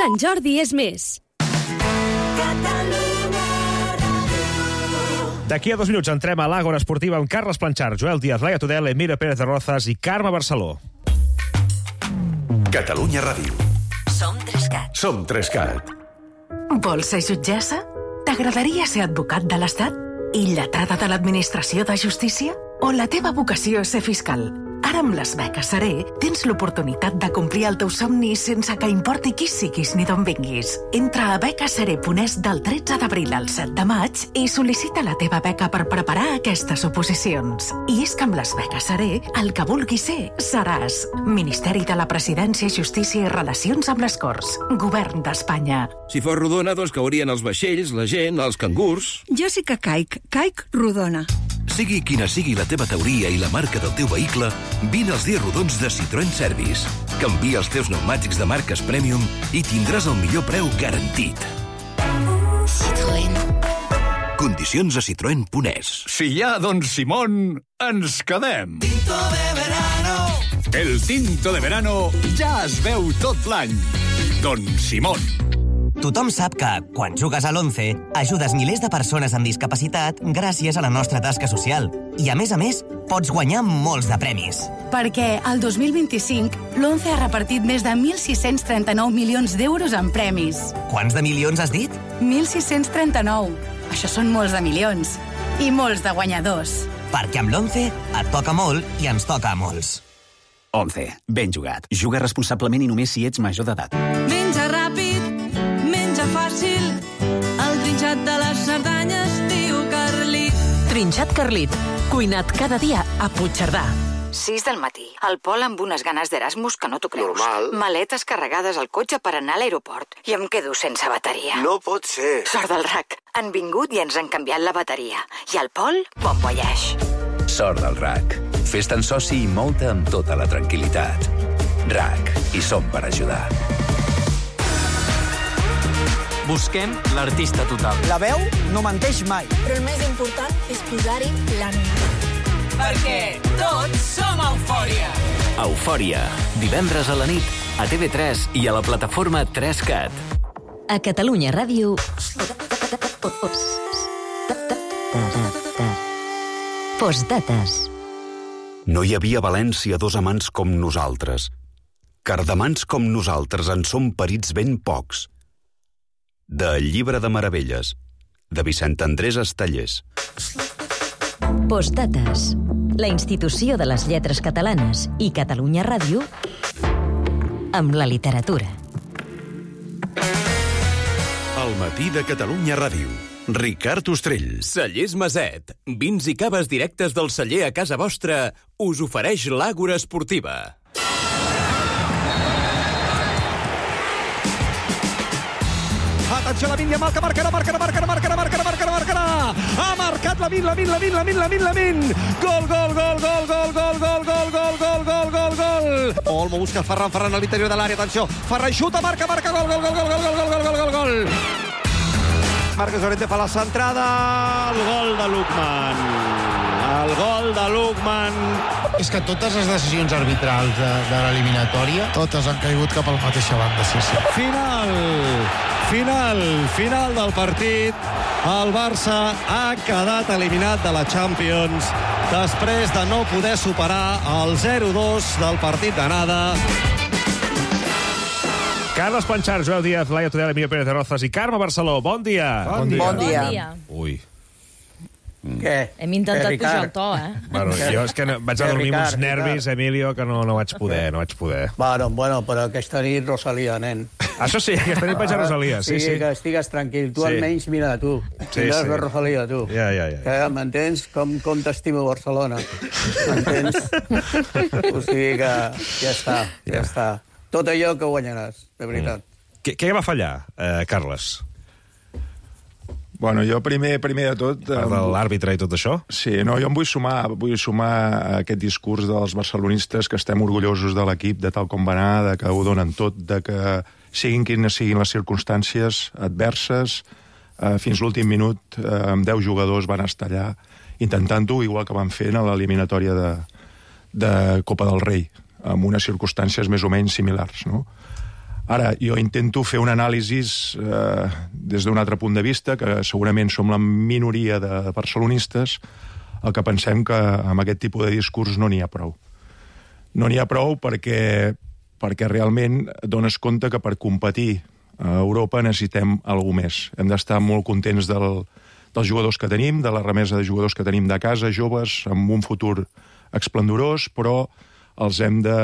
Sant Jordi és més. D'aquí a 2 minuts entrem a l'Àgora Esportiva amb Carles Planchar, Joel Díaz, Laia Tudel, Emilio Pérez de Rozas i Carme Barceló. Catalunya Ràdio. Som 3CAT. Som 3CAT. Vols ser jutgessa? T'agradaria ser advocat de l'Estat? I lletrada de l'Administració de Justícia? O la teva vocació és ser fiscal? Ara amb les beques Seré tens l'oportunitat de complir el teu somni sense que importi qui siguis ni d'on vinguis. Entra a becaseré.es del 13 d'abril al 7 de maig i sol·licita la teva beca per preparar aquestes oposicions. I és que amb les beques Seré, el que vulguis ser, seràs. Ministeri de la Presidència, Justícia i Relacions amb les Corts. Govern d'Espanya. Si fos rodona, doncs caurien els vaixells, la gent, els cangurs... Jo sí que caic rodona. Sigui quina sigui la teva teoria i la marca del teu vehicle, vine als dies rodons de Citroën Service. Canvia els teus pneumàtics de marques Premium i tindràs el millor preu garantit. Citroën. Condicions a citroen.es. Si hi ha Don Simón, ens quedem. Tinto de verano. El tinto de verano ja es veu tot l'any. Don Simón. Tothom sap que, quan jugues a l'11, ajudes milers de persones amb discapacitat gràcies a la nostra tasca social. I, a més, pots guanyar molts de premis. Perquè el 2025 l'11 ha repartit més de 1.639 milions d'euros en premis. Quants de milions has dit? 1.639. Això són molts de milions. I molts de guanyadors. Perquè amb l'11 et toca molt i ens toca a molts. 11. Ben jugat. Juga responsablement i només si ets major d'edat. Menja ràpid, menja fàcil, el trinxat de les Cerdanyes diu Carlit. Trinxat Carlit, cuinat cada dia a Puigcerdà. 6 del matí. El Pol amb unes ganes d'Erasmus que no t'ho creus. Normal. Maletes carregades al cotxe per anar a l'aeroport. I em quedo sense bateria. No pot ser. Sort del RAC. Han vingut i ens han canviat la bateria. I el Pol, bon voyage. Sort del RAC. Fes-te'n soci i mou-te amb tota la tranquil·litat. RAC. Hi som per ajudar. Busquem l'artista total. La veu no menteix mai. Però el més important és posar-hi l'ànima. Perquè tots som Eufòria. Eufòria. Divendres a la nit, a TV3 i a la plataforma 3CAT. A Catalunya Ràdio... Postdates. No hi havia a València dos amants com nosaltres. Cardamans com nosaltres en són perits ben pocs. De El llibre de meravelles, de Vicent Andrés Estellers. Postdates. La institució de les lletres catalanes i Catalunya Ràdio amb la literatura. El matí de Catalunya Ràdio. Ricard Ostrell. Cellers Maset. Vins i caves directes del celler a casa vostra us ofereix l'Àgora Esportiva. Atenció, Lamine Yamal, que marcarà. Ha marcat Lamine. Gol. Olmo busca Ferran a l'interior de l'àrea. Atenció, Ferran xuta, marca, gol. Marcos Llorente fa la centrada. El gol de Lukman. És que totes les decisions arbitrals de l'eliminatòria, totes han caigut cap a la mateixa banda, sí. Final del partit. El Barça ha quedat eliminat de la Champions després de no poder superar el 0-2 del partit d'anada. Carles Planchar, Joel Díaz, Laia Tudel, Emilio Pérez de Rozas i Carme Barceló. Bon dia. Bon dia. Ui. Què? Hem intentat pujar el to, Bueno, jo és que vaig a dormir amb uns nervis, Emilio, que no vaig poder. Bueno, però aquesta nit Rosalia, nen. Això sí, aquesta nit vaig a Rosalia, sí. Que estigues tranquil. Tu almenys, mira, tu. Tindràs la Rosalia, tu. Ja. M'entens? Com t'estimo Barcelona. M'entens? O sigui que ja està. Tot allò que guanyaràs, de veritat. Què va fallar, Carles? Bueno, jo primer de tot... L'àrbitre i tot això? Sí, no, jo em vull sumar a aquest discurs dels barcelonistes que estem orgullosos de l'equip, de tal com va anar, de que ho donen tot, de que siguin quines siguin les circumstàncies adverses, fins l'últim minut, amb 10 jugadors van estar allà intentant-ho, igual que van fer a l'eliminatòria de Copa del Rei, amb unes circumstàncies més o menys similars, no? Ara, jo intento fer un anàlisi des d'un altre punt de vista, que segurament som la minoria de barcelonistes, el que pensem que amb aquest tipus de discurs no n'hi ha prou. No n'hi ha prou perquè realment et dones compte que per competir a Europa necessitem alguna més. Hem d'estar molt contents dels jugadors que tenim, de la remesa de jugadors que tenim de casa, joves, amb un futur esplendorós, però els hem de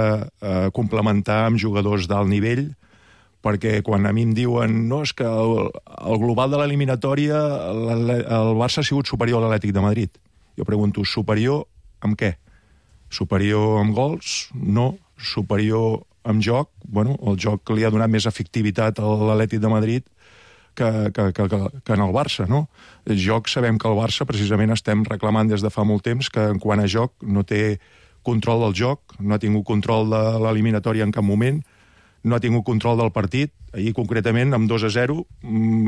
complementar amb jugadors d'alt nivell, perquè quan a mi em diuen no, és que el global de l'eliminatòria el Barça ha sigut superior a l'Atlètic de Madrid. Jo pregunto, superior amb què? Superior amb gols? No. Superior amb joc? Bueno, el joc li ha donat més efectivitat a l'Atlètic de Madrid que en el Barça, no? El joc, sabem que el Barça precisament estem reclamant des de fa molt temps que en quant a joc no té control del joc, no ha tingut control de l'eliminatòria en cap moment, no ha tingut control del partit. Ahir, concretament, amb 2-0,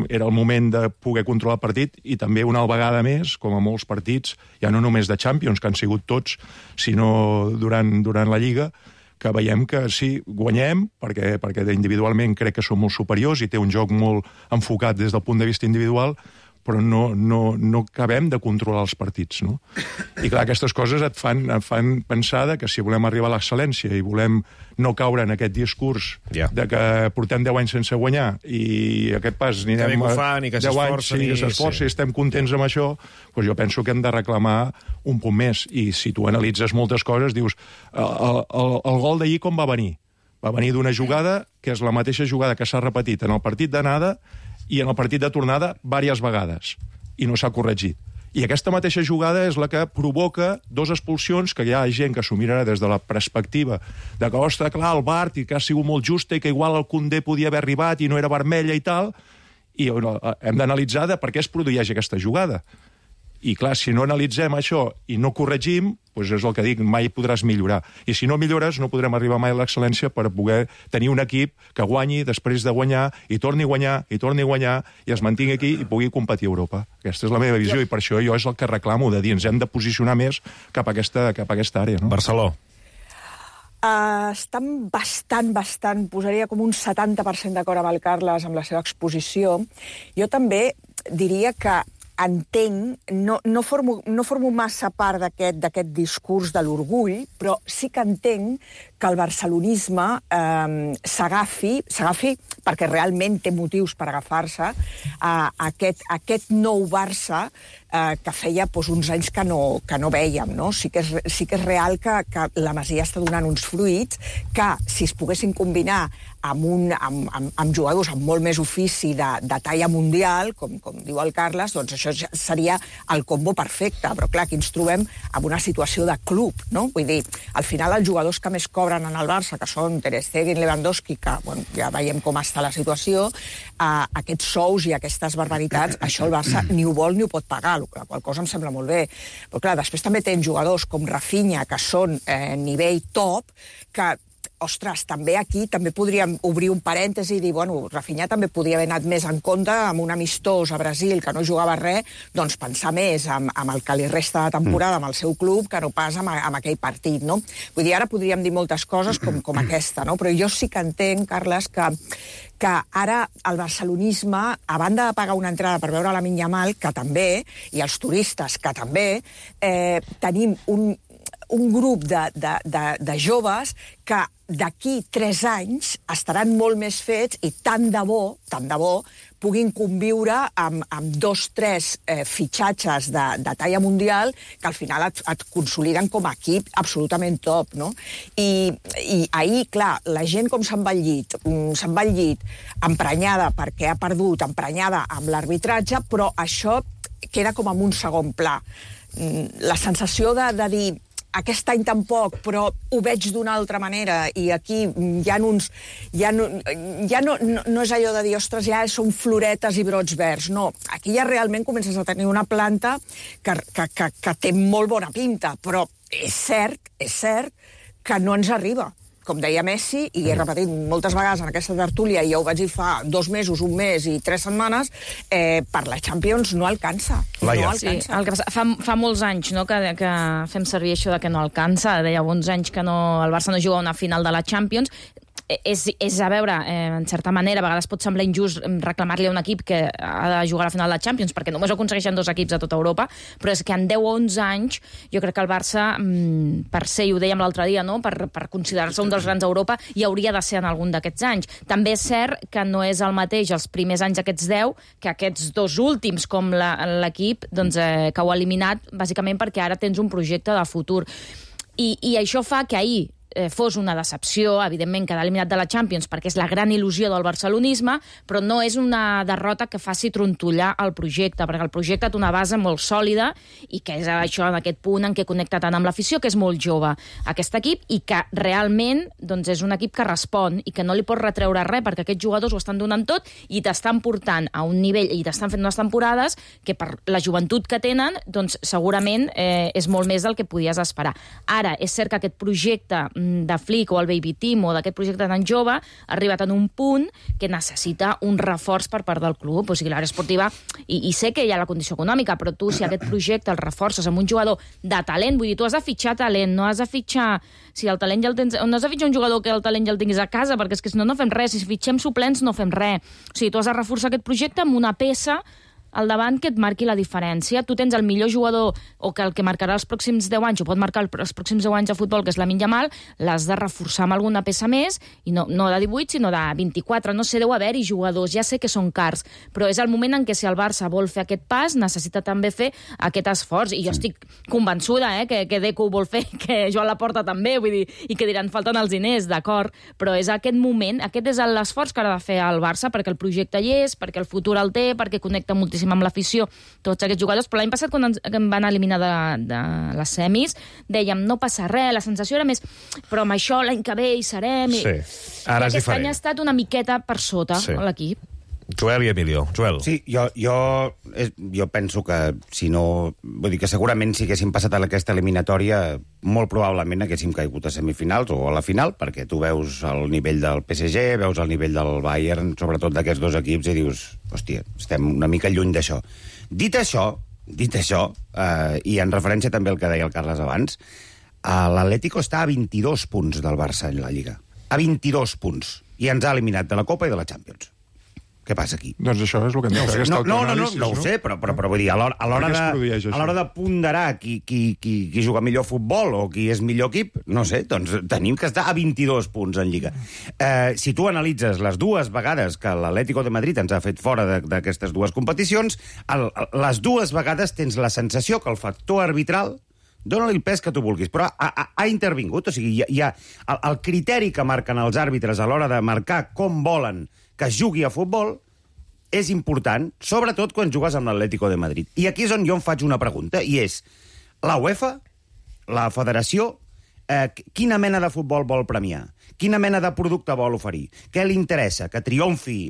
era el moment de poder controlar el partit i també una vegada més, com a molts partits, ja no només de Champions, que han sigut tots, sinó durant la Lliga, que veiem que sí, guanyem, perquè individualment crec que som molt superiors i té un joc molt enfocat des del punt de vista individual, però no acabem de controlar els partits, no? I clar, aquestes coses et fan pensar que si volem arribar a l'excel·lència i volem no caure en aquest discurs de que portem 10 anys sense guanyar i aquest pas anirem a 10 anys i que s'esforci i estem contents amb això, doncs jo penso que hem de reclamar un punt més. I si tu analitzes moltes coses, dius, el gol d'ahir com va venir? Va venir d'una jugada que és la mateixa jugada que s'ha repetit en el partit d'anada i en el partit de tornada diverses vegades, i no s'ha corregit. I aquesta mateixa jugada és la que provoca 2 expulsions, que hi ha gent que s'ho mirarà des de la perspectiva de que, ostres, clar, el VAR, i que ha sigut molt justa, i que igual el Koundé podia haver arribat i no era vermella i tal, i hem d'analitzar de per què es produeix aquesta jugada. I clar, si no analitzem això i no corregim, doncs és el que dic, mai podràs millorar. I si no millores, no podrem arribar mai a l'excel·lència per poder tenir un equip que guanyi després de guanyar, i torni a guanyar, i es mantingui aquí i pugui competir a Europa. Aquesta és la meva visió, i per això jo és el que reclamo, de dir, ens hem de posicionar més cap a aquesta àrea. No? Barceló. Estan bastant, posaria com un 70% d'acord amb el Carles, amb la seva exposició. Jo també diria que entenc, no formo massa part d'aquest discurs de l'orgull, però sí que entenc que el barcelonisme s'agafi, perquè realment té motius per agafar-se, a aquest nou Barça que feia uns anys que no vèiem. No? Sí que és real que la Masia està donant uns fruits que, si es poguessin combinar amb jugadors amb molt més ofici de talla mundial, com diu el Carles, doncs això seria el combo perfecte. Però clar, aquí ens trobem en una situació de club, no? Vull dir, al final els jugadors que més cobren en el Barça, que són Ter Stegen, Lewandowski, que ja veiem com està la situació, aquests sous i aquestes barbaritats, això el Barça ni ho vol ni ho pot pagar, la qual cosa em sembla molt bé. Però clar, després també tenen jugadors com Rafinha, que són nivell top, que ostres, també aquí també podríem obrir un parèntesi i dir, bueno, Rafinha també podria haver anat més en compte amb un amistós a Brasil que no jugava res, doncs pensar més amb el que li resta de temporada amb el seu club que no pas amb aquell partit, no? Vull dir, ara podríem dir moltes coses com aquesta, no? Però jo sí que entenc, Carles, que ara el barcelonisme, a banda de pagar una entrada per veure la Yamal, que també, i els turistes, que també, tenim un grup de joves que d'aquí 3 anys estaran molt més fets i tant de bo puguin conviure amb 2 o 3 fitxatges de talla mundial que al final et consoliden com a equip absolutament top, no? I ahir, clar, la gent com se'n va al llit emprenyada perquè ha perdut, emprenyada amb l'arbitratge, però això queda com en un segon pla. La sensació de dir aquest any tampoc, però ho veig d'una altra manera, i aquí ja no és allò de dir, ostres, ja són floretes i brots verds, no. Aquí ja realment comences a tenir una planta que té molt bona pinta, però és cert que no ens arriba. Com deia Messi, i he repetit moltes vegades en aquesta tertúlia, i ja ho vaig dir fa 2 mesos, 1 mes i 3 setmanes, per la Champions no alcança. Laia. Sí, el que passa, fa molts anys, no, que fem servir això de que no alcança. Deia 11 anys que el Barça no juga a una final de la Champions. és a veure, en certa manera, a vegades pot semblar injust reclamar-li a un equip que ha de jugar a la final de la Champions, perquè només ho aconsegueixen 2 equips a tota Europa, però és que en 10 o 11 anys jo crec que el Barça, per ser, i ho dèiem l'altre dia, no? per considerar-se un dels grans d'Europa, hi hauria de ser en algun d'aquests anys. També és cert que no és el mateix els primers anys d'aquests 10 que aquests 2 últims, com l'equip doncs, que ho ha eliminat, bàsicament perquè ara tens un projecte de futur. I això fa que ahir fos una decepció, evidentment, quedar eliminat de la Champions, perquè és la gran il·lusió del barcelonisme, però no és una derrota que faci trontollar el projecte, perquè el projecte té una base molt sòlida i que és això, en aquest punt en què connecta tant amb l'afició, que és molt jove, aquest equip, i que realment doncs, és un equip que respon i que no li pots retreure res, perquè aquests jugadors ho estan donant tot i t'estan portant a un nivell i t'estan fent unes temporades que per la joventut que tenen, doncs segurament és molt més del que podies esperar. Ara, és cert que aquest projecte de Flick o el Baby Team o d'aquest projecte tan jove ha arribat en un punt que necessita un reforç per part del club. O sigui, l'àrea esportiva, i sé que hi ha la condició econòmica, però tu, si aquest projecte el reforces amb un jugador de talent, vull dir, tu has de fitxar talent, no has de fitxar... Si el talent ja el tens... No has de fitxar un jugador que el talent ja el tinguis a casa, perquè és que si no, no fem res. Si fitxem suplents, no fem res. O sigui, tu has de reforçar aquest projecte amb una peça al davant que et marqui la diferència. Tu tens el millor jugador, o que el que marcarà els pròxims 10 anys, o pot marcar els pròxims 10 anys de futbol, que és Lamine Yamal, l'has de reforçar amb alguna peça més, i no de 18, sinó de 24. No sé, deu haver-hi jugadors, ja sé que són cars, però és el moment en què si el Barça vol fer aquest pas, necessita també fer aquest esforç. I jo estic convençuda que Deco ho vol fer, que Joan Laporta també, vull dir, i que diran, falten els diners, d'acord, però és aquest moment, aquest és l'esforç que ha de fer el Barça, perquè el projecte hi és, perquè el futur el té, perquè connecta moltíssim amb l'afició, tots aquests jugadors. Però l'any passat, quan em van eliminar de les semis, dèiem, no passa res, la sensació era més, però amb això l'any que ve hi serem. Sí, ara és diferent. Aquest any ha estat una miqueta per sota l'equip. Joel i Emilio. Joel. Sí, jo penso que si no... Vull dir que segurament si haguéssim passat a aquesta eliminatòria, molt probablement haguéssim caigut a semifinals o a la final, perquè tu veus el nivell del PSG, veus el nivell del Bayern, sobretot d'aquests 2 equips, i dius, hòstia, estem una mica lluny d'això. Dit això, i en referència també al que deia el Carles abans, l'Atlético està a 22 punts del Barça en la Lliga. A 22 punts. I ens ha eliminat de la Copa i de la Champions. Què passa aquí? Doncs això és el que hem de fer. No ho sé, però vull dir, a l'hora de ponderar qui juga millor futbol o qui és millor equip, no sé, doncs tenim que estar a 22 punts en Lliga. Si tu analitzes les 2 vegades que l'Atlético de Madrid ens ha fet fora d'aquestes 2 competicions, les 2 vegades tens la sensació que el factor arbitral, dóna-li el pes que tu vulguis, però ha intervingut. O sigui, hi ha el criteri que marquen els àrbitres a l'hora de marcar com volen que es jugui a futbol és important, sobretot quan jugues amb l'Atlético de Madrid. I aquí és on jo em faig una pregunta, i és, la UEFA, la federació, quina mena de futbol vol premiar? Quina mena de producte vol oferir? Què li interessa? Que triomfi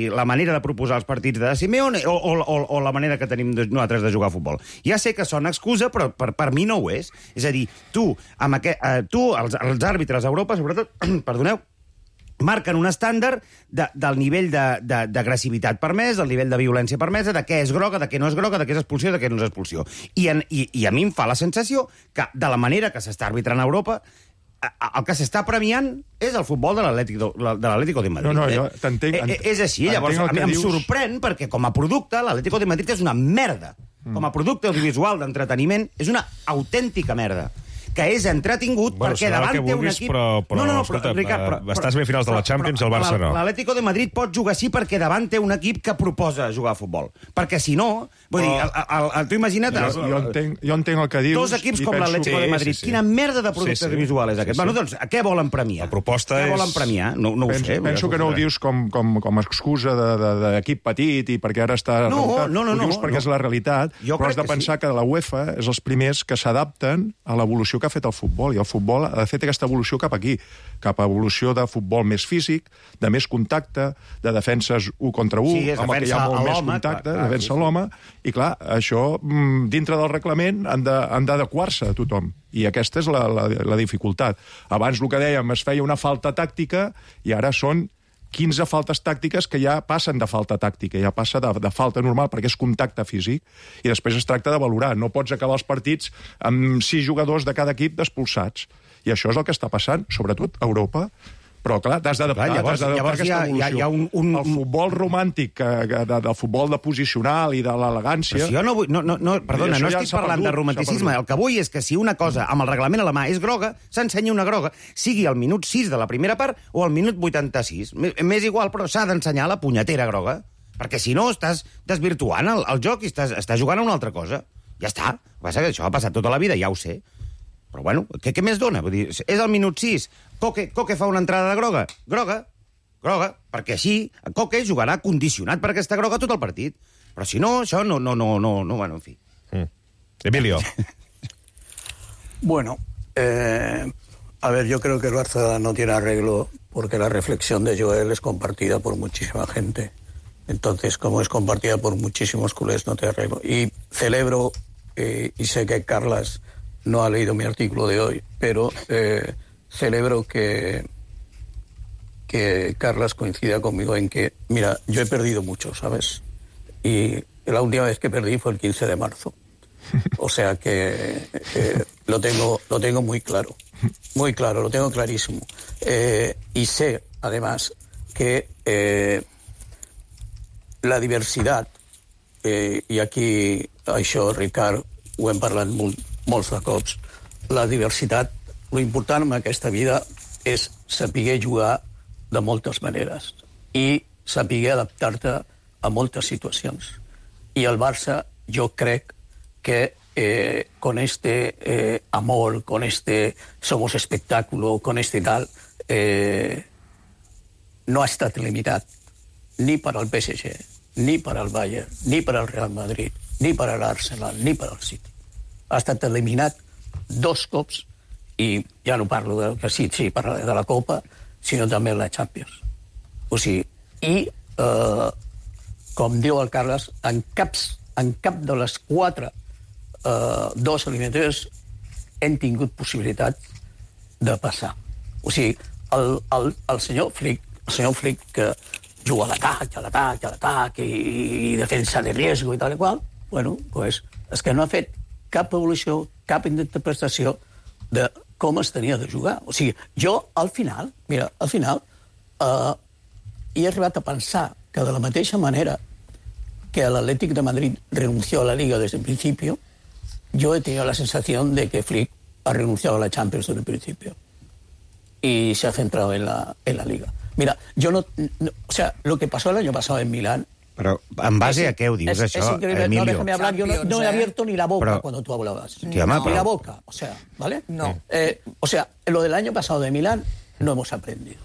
la manera de proposar els partits de Simeone o la manera que tenim nosaltres de jugar a futbol? Ja sé que sona excusa, però per mi no ho és. És a dir, els àrbitres a Europa, sobretot, perdoneu, marquen un estàndard del nivell d'agressivitat permès, del nivell de violència permesa, de què és groga, de què no és groga, de què és expulsió, de què no és expulsió. I a mi em fa la sensació que, de la manera que s'està arbitrant a Europa, el que s'està premiant és el futbol de l'Atlético de Madrid. No, jo t'entenc. És així, llavors em sorprèn perquè com a producte l'Atlético de Madrid és una merda. Com a producte audiovisual d'entreteniment és una autèntica merda. Que és entretingut perquè davant té un equip... Però estàs bé a finals de la Champions, el Barça no. L'Atlético de Madrid pot jugar així perquè davant té un equip que proposa jugar a futbol. Perquè si no... Vull dir, tu imagina't... Jo entenc el que dius... 2 equips com l'Atlético de Madrid. Quina merda de producte audiovisual és aquest? Bueno, doncs, què volen premiar? La proposta és... Què volen premiar? No ho sé. Penso que no ho dius com a excusa d'equip petit i perquè ara està... No. Ho dius perquè és la realitat, però has de pensar que la UEFA és els primers que s'adapten a l'evolució que ha fet el futbol, i el futbol ha fet aquesta evolució cap aquí, cap a evolució de futbol més físic, de més contacte, de defenses 1 contra 1, amb el que hi ha molt més contacte, defensa l'home, i clar, això, dintre del reglament, han d'adequar-se a tothom. I aquesta és la dificultat. Abans, el que dèiem, es feia una falta tàctica, i ara són 15 faltes tàctiques que ja passen de falta tàctica, ja passa de falta normal, perquè és contacte físic, i després es tracta de valorar. No pots acabar els partits amb 6 jugadors de cada equip expulsats. I això és el que està passant, sobretot a Europa, Però, clar, t'has d'adaptar. Llavors hi ha un... El futbol romàntic, del futbol de posicional i de l'elegància... Però si jo no vull... Perdona, no estic parlant de romanticisme. El que vull és que si una cosa amb el reglament a la mà és groga, s'ensenya una groga, sigui al minut 6 de la primera part o al minut 86. M'és igual, però s'ha d'ensenyar la punyetera groga. Perquè si no, estàs desvirtuant el joc i estàs jugant a una altra cosa. Ja està. El que passa que això ha passat tota la vida, ja ho sé. Però, bueno, què més dona? Vull dir, és al minut 6. Coque fa una entrada de groga. Groga. Perquè així Coque jugarà condicionat per aquesta groga tot el partit. Però si no, això no, bueno, en fi. Emilio. Bueno, a ver, yo creo que el Barça no tiene arreglo porque la reflexión de Joel es compartida por muchísima gente. Entonces, como es compartida por muchísimos culés, no tiene arreglo. Y celebro, y sé que Carlas no ha leído mi artículo de hoy, pero celebro que Carlas coincida conmigo en que, mira, yo he perdido mucho, ¿sabes? Y la última vez que perdí fue el 15 de marzo. O sea que lo tengo muy claro, lo tengo clarísimo. Y sé, además, que la diversidad, i aquí això, Ricard, ho hem parlat molts de cops, la diversitat, lo important en aquesta vida és saber jugar de moltes maneres i saber adaptar-te a moltes situacions. I el Barça, jo crec que con este amor, con este somos espectáculo, con este tal, no ha estat limitat ni per al PSG, ni per al Bayern, ni per al Real Madrid, ni per a l'Arsenal, ni per al City. Ha estat eliminat 2 cops, i ja no parlo que sí, parlaré de la Copa, sinó també de la Champions. O sigui, i, com diu el Carles, en cap de les 4 2 eliminatòries hem tingut possibilitat de passar. O sigui, el senyor Flick, que juga a l'atac, i defensa de riesgo i tal i qual, bueno, pues, és que no ha fet cap evolució, cap interpretació de com es tenia de jugar. O sigui, jo, al final, he arribat a pensar que de la mateixa manera que el Atlético de Madrid renunció a la Liga desde el principio, yo he tenido la sensación de que Flick ha renunciado a la Champions desde el principio y se ha centrado en la Liga. Mira, yo no, o sea, lo que pasó el año pasado en Milán... Però en base a què ho dius, això, Emilio? No, déjame hablar, yo no he abierto ni la boca cuando tú hablabas. Ni la boca, o sea, ¿vale? No. O sea, lo del año pasado de Milán no hemos aprendido,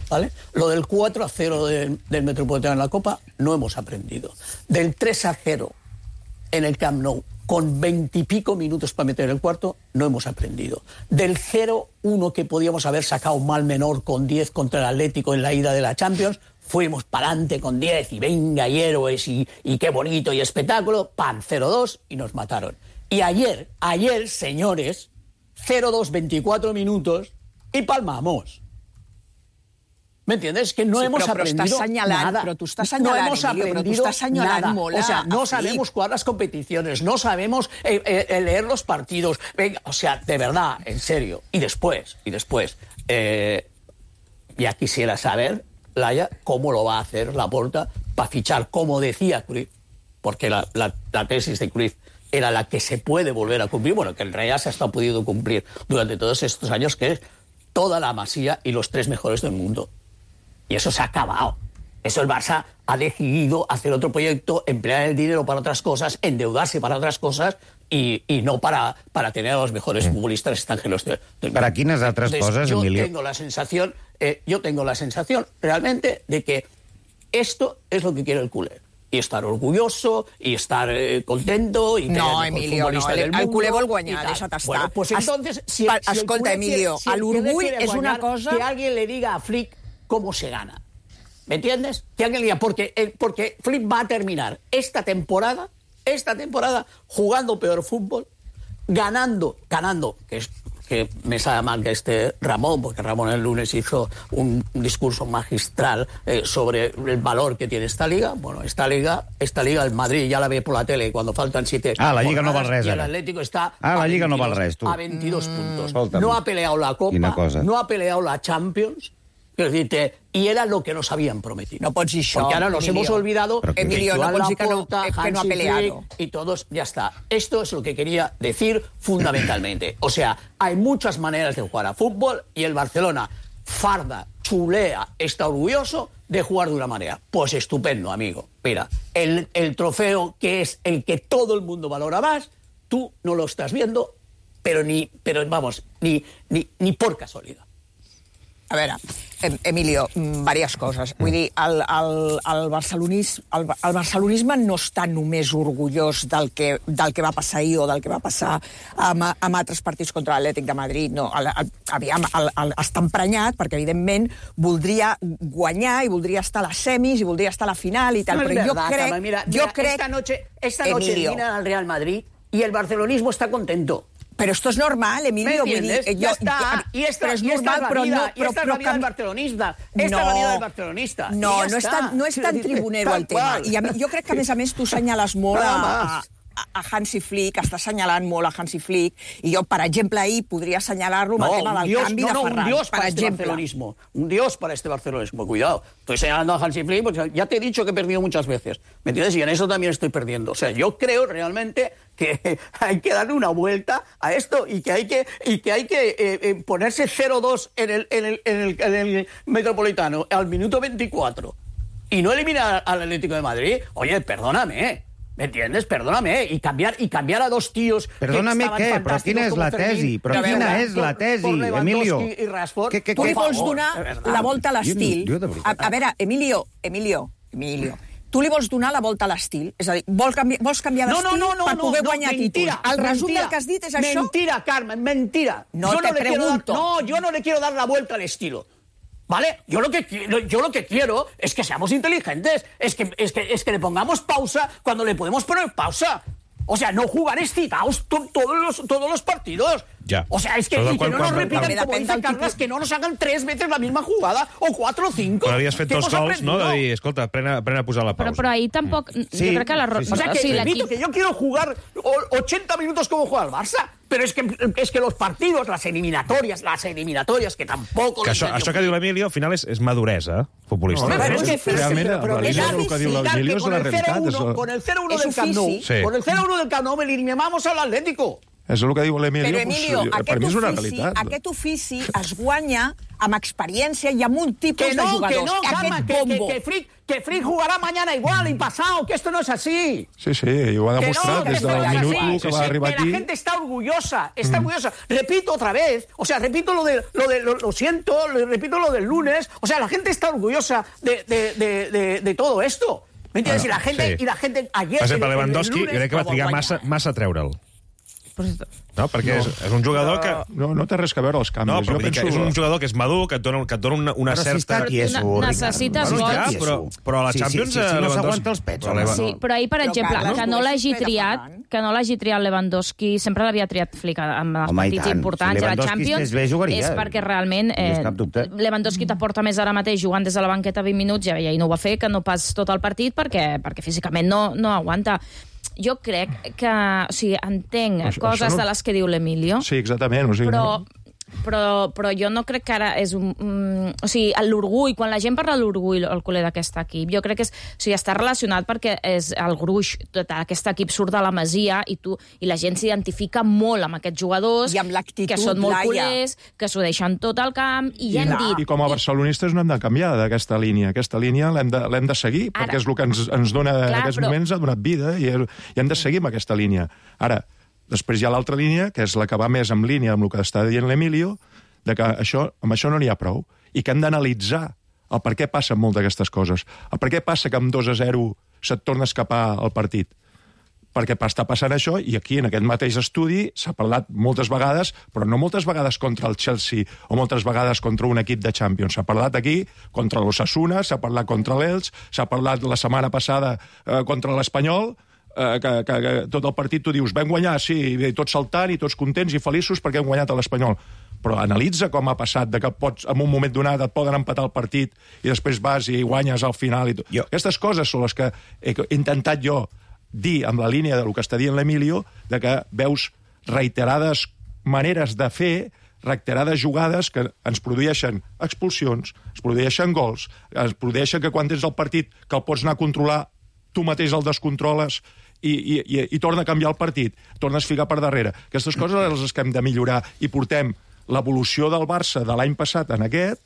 ¿vale? Lo del 4-0 del Metropolitano en la Copa no hemos aprendido. Del 3-0 en el Camp Nou, con 20 y pico minutos para meter el cuarto, no hemos aprendido. Del 0-1 que podíamos haber sacado mal menor con 10 contra el Atlético en la ida de la Champions, fuimos para adelante con 10 y venga, y héroes, y qué bonito y espectáculo, ¡pam! 0-2 y nos mataron. Y ayer, señores, 0-2, 24 minutos y palmamos. ¿Me entiendes? Que no hemos aprendido nada. Pero tú estás señalando, no hemos aprendido nada. O sea, no sabemos jugar las competiciones, no sabemos leer los partidos. Venga, o sea, de verdad, en serio. Y después, ya quisiera saber, Laia, cómo lo va a hacer Laporta para fichar, como decía Cruyff, porque la tesis de Cruyff era la que se puede volver a cumplir, bueno, que en realidad se ha estado pudiendo cumplir durante todos estos años, que es toda la Masía y los 3 mejores del mundo. Y eso se ha acabado. Eso el Barça ha decidido hacer otro proyecto, emplear el dinero para otras cosas, endeudarse para otras cosas y no para tener a los mejores futbolistas extranjeros. ¿Para quines altres coses, Emilio? Yo tengo la sensación realmente de que esto es lo que quiere el culé. Y estar orgulloso, y estar contento, y que no, Emilio, no, el culé vol guanyar, deixa't estar. Bueno, pues entonces, escolta, Emilio, l'orgull és una cosa... Que alguien le diga a Flick cómo se gana. ¿Me entiendes? Que alguien le diga, porque Flick va a terminar esta temporada jugando peor fútbol, ganando, que me sabe mal que Ramón, porque Ramón el lunes hizo un discurso magistral sobre el valor que tiene esta liga. Bueno, esta liga, el Madrid ya la ve por la tele cuando faltan 7. La Lliga no val res, y el Atlético está la Lliga no val res, tu. A 22 puntos. No ha peleado la Copa, no ha peleado la Champions, Quiero decirte, y era lo que nos habían prometido. No pots dir això, porque ahora nos Emilio. hemos olvidado Emilio, no pots dir que no ha peleado. Y todos, ya está. Esto es lo que quería decir fundamentalmente. O sea, hay muchas maneras de jugar a fútbol y el Barcelona farda, chulea, está orgulloso de jugar de una manera. Pues estupendo, amigo. Mira, el trofeo que es el que todo el mundo valora más, tú no lo estás viendo, pero ni por casualidad. A veure, Emilio, diverses coses. Vull dir, el barcelonisme no està només orgullós del que va passar ahir o del que va passar amb altres partits contra l'Atlètic de Madrid. No, aviam, està emprenyat perquè, evidentment, voldria guanyar i voldria estar a les semis i voldria estar a la final i tal, però jo crec... Esta noche eliminan al Real Madrid y el barcelonismo está contento. Pero esto es normal, Emilio. ¿Me entiendes? Ya está. Y esta es la vida del barcelonista. Esta es la vida del barcelonista. No és tan tribunero el tema. I jo crec que, a més, tu assenyales molt a Hansi Flick, està assenyalant molt a Hansi Flick, i jo, per exemple, ahir podria assenyalar-lo amb el tema del canvi de Ferran. Un dios para este barcelonismo. Un dios para este barcelonismo. Cuidado. Estoy señalando a Hansi Flick porque ya te he dicho que he perdido muchas veces. ¿Me entiendes? Y en eso también estoy perdiendo. O sea, yo creo realmente que hay que darle una vuelta a esto y que hay que ponerse 0-2 en el Metropolitano al minuto 24 y no eliminar al Atlético de Madrid. Oye, perdóname, ¿me entiendes? Perdóname. Y cambiar a dos tíos... Perdóname, què? Però quina és la tesi? Però quina és la tesi, Emilio? Tu li vols donar la volta a l'estil. A veure, Emilio, tu li vols donar la volta a l'estil? És a dir, vols canviar d'estil per poder guanyar títols? El resum del que has dit és això? Mentira, Carmen, mentira. No te pregunto. No, yo no le quiero dar la vuelta al estilo. ¿Vale? Yo lo que quiero es que seamos inteligentes, es que le pongamos pausa cuando le podemos poner pausa. O sea, no jugar excitados todos los partidos. Ya. O sea, es que, y que no nos repitan, como dice Carles, que no nos hagan 3 veces la misma jugada, o 4 o 5. Però havies fet 2 gols, no? De dir, escolta, pren a posar la pausa. Però ahir tampoc... Sí, jo crec que o sea, que repito que yo quiero jugar 80 minutos como juega el Barça, pero es que los partidos, las eliminatorias, que tampoco... Que això que diu l'Emilio, al final és maduresa futbolística. No, pero es que realment el que diu l'Emilio és la realitat. Con el 0-1 del Camp Nou, con el 0-1 del Camp Nou eliminamos al Atlético. És el que diu l'Emilio. Però, Emilio, per mi és una realitat. Aquest ofici es guanya amb experiència i amb un tipus de jugadors. Que Frick jugará mañana igual y pasado, que esto no es así. Sí, i ho ha demostrat des del minut 1 que va arribar aquí. Que la gente está orgullosa, orgullosa. Repito otra vez, o sea, repito lo siento, repito lo del lunes, o sea, la gente está orgullosa de todo esto. ¿Me entiendes? Bueno, y la gente ayer... Per exemple, Lewandowski, crec que va trigar massa a treure'l. No, perquè és un jugador que... No té res a veure els canvis. No, però és un jugador que és madur, que et dona una certa... Necessites gols. Però a la Champions... No s'aguanta els pets. Sí, però ahir, per exemple, que no l'hagi triat Lewandowski, sempre l'havia triat Flick en els partits importants a la Champions, és perquè realment Lewandowski t'aporta més ara mateix jugant des de la banqueta 20 minuts, i ahir no ho va fer, que no pas tot el partit, perquè físicament no aguanta. Jo crec que... O sigui, entenc coses de les que diu l'Emilio. Sí, exactament. Però jo no crec que ara és un... O sigui, l'orgull, quan la gent parla de l'orgull al culer d'aquest equip, jo crec que està relacionat perquè és el gruix, tot aquest equip surt de la Masia i la gent s'identifica molt amb aquests jugadors, que són molt culers, que s'ho deixen tot al camp, i ja hem dit... I com a barcelonistes no hem de canviar d'aquesta línia. Aquesta línia l'hem de seguir, perquè és el que ens dona en aquests moments, ha donat vida, i hem de seguir amb aquesta línia. Ara, després hi ha l'altra línia, que és la que va més en línia amb el que està dient l'Emilio, de que amb això no n'hi ha prou, i que hem d'analitzar el per què passen moltes d'aquestes coses. El per què passa que amb 2-0 se't torna a escapar el partit. Perquè està passant això, i aquí, en aquest mateix estudi, s'ha parlat moltes vegades, però no moltes vegades contra el Chelsea o moltes vegades contra un equip de Champions. S'ha parlat aquí contra l'Osasuna, s'ha parlat contra l'Elx, s'ha parlat la setmana passada contra l'Espanyol, que tot el partit tu dius, vam guanyar, sí, tots saltant i tots contents i feliços perquè hem guanyat a l'Espanyol. Però analitza com ha passat, que en un moment donat et poden empatar el partit i després vas i guanyes al final. Aquestes coses són les que he intentat jo dir amb la línia del que està dient l'Emilio, de que veus reiterades maneres de fer reiterades jugades que ens produeixen expulsions, es produeixen gols, es produeixen que quan tens el partit que el pots anar a controlar, tu mateix el descontroles i torna a canviar el partit, tornes a ficar per darrere. Aquestes coses les que hem de millorar i portem l'evolució del Barça de l'any passat en aquest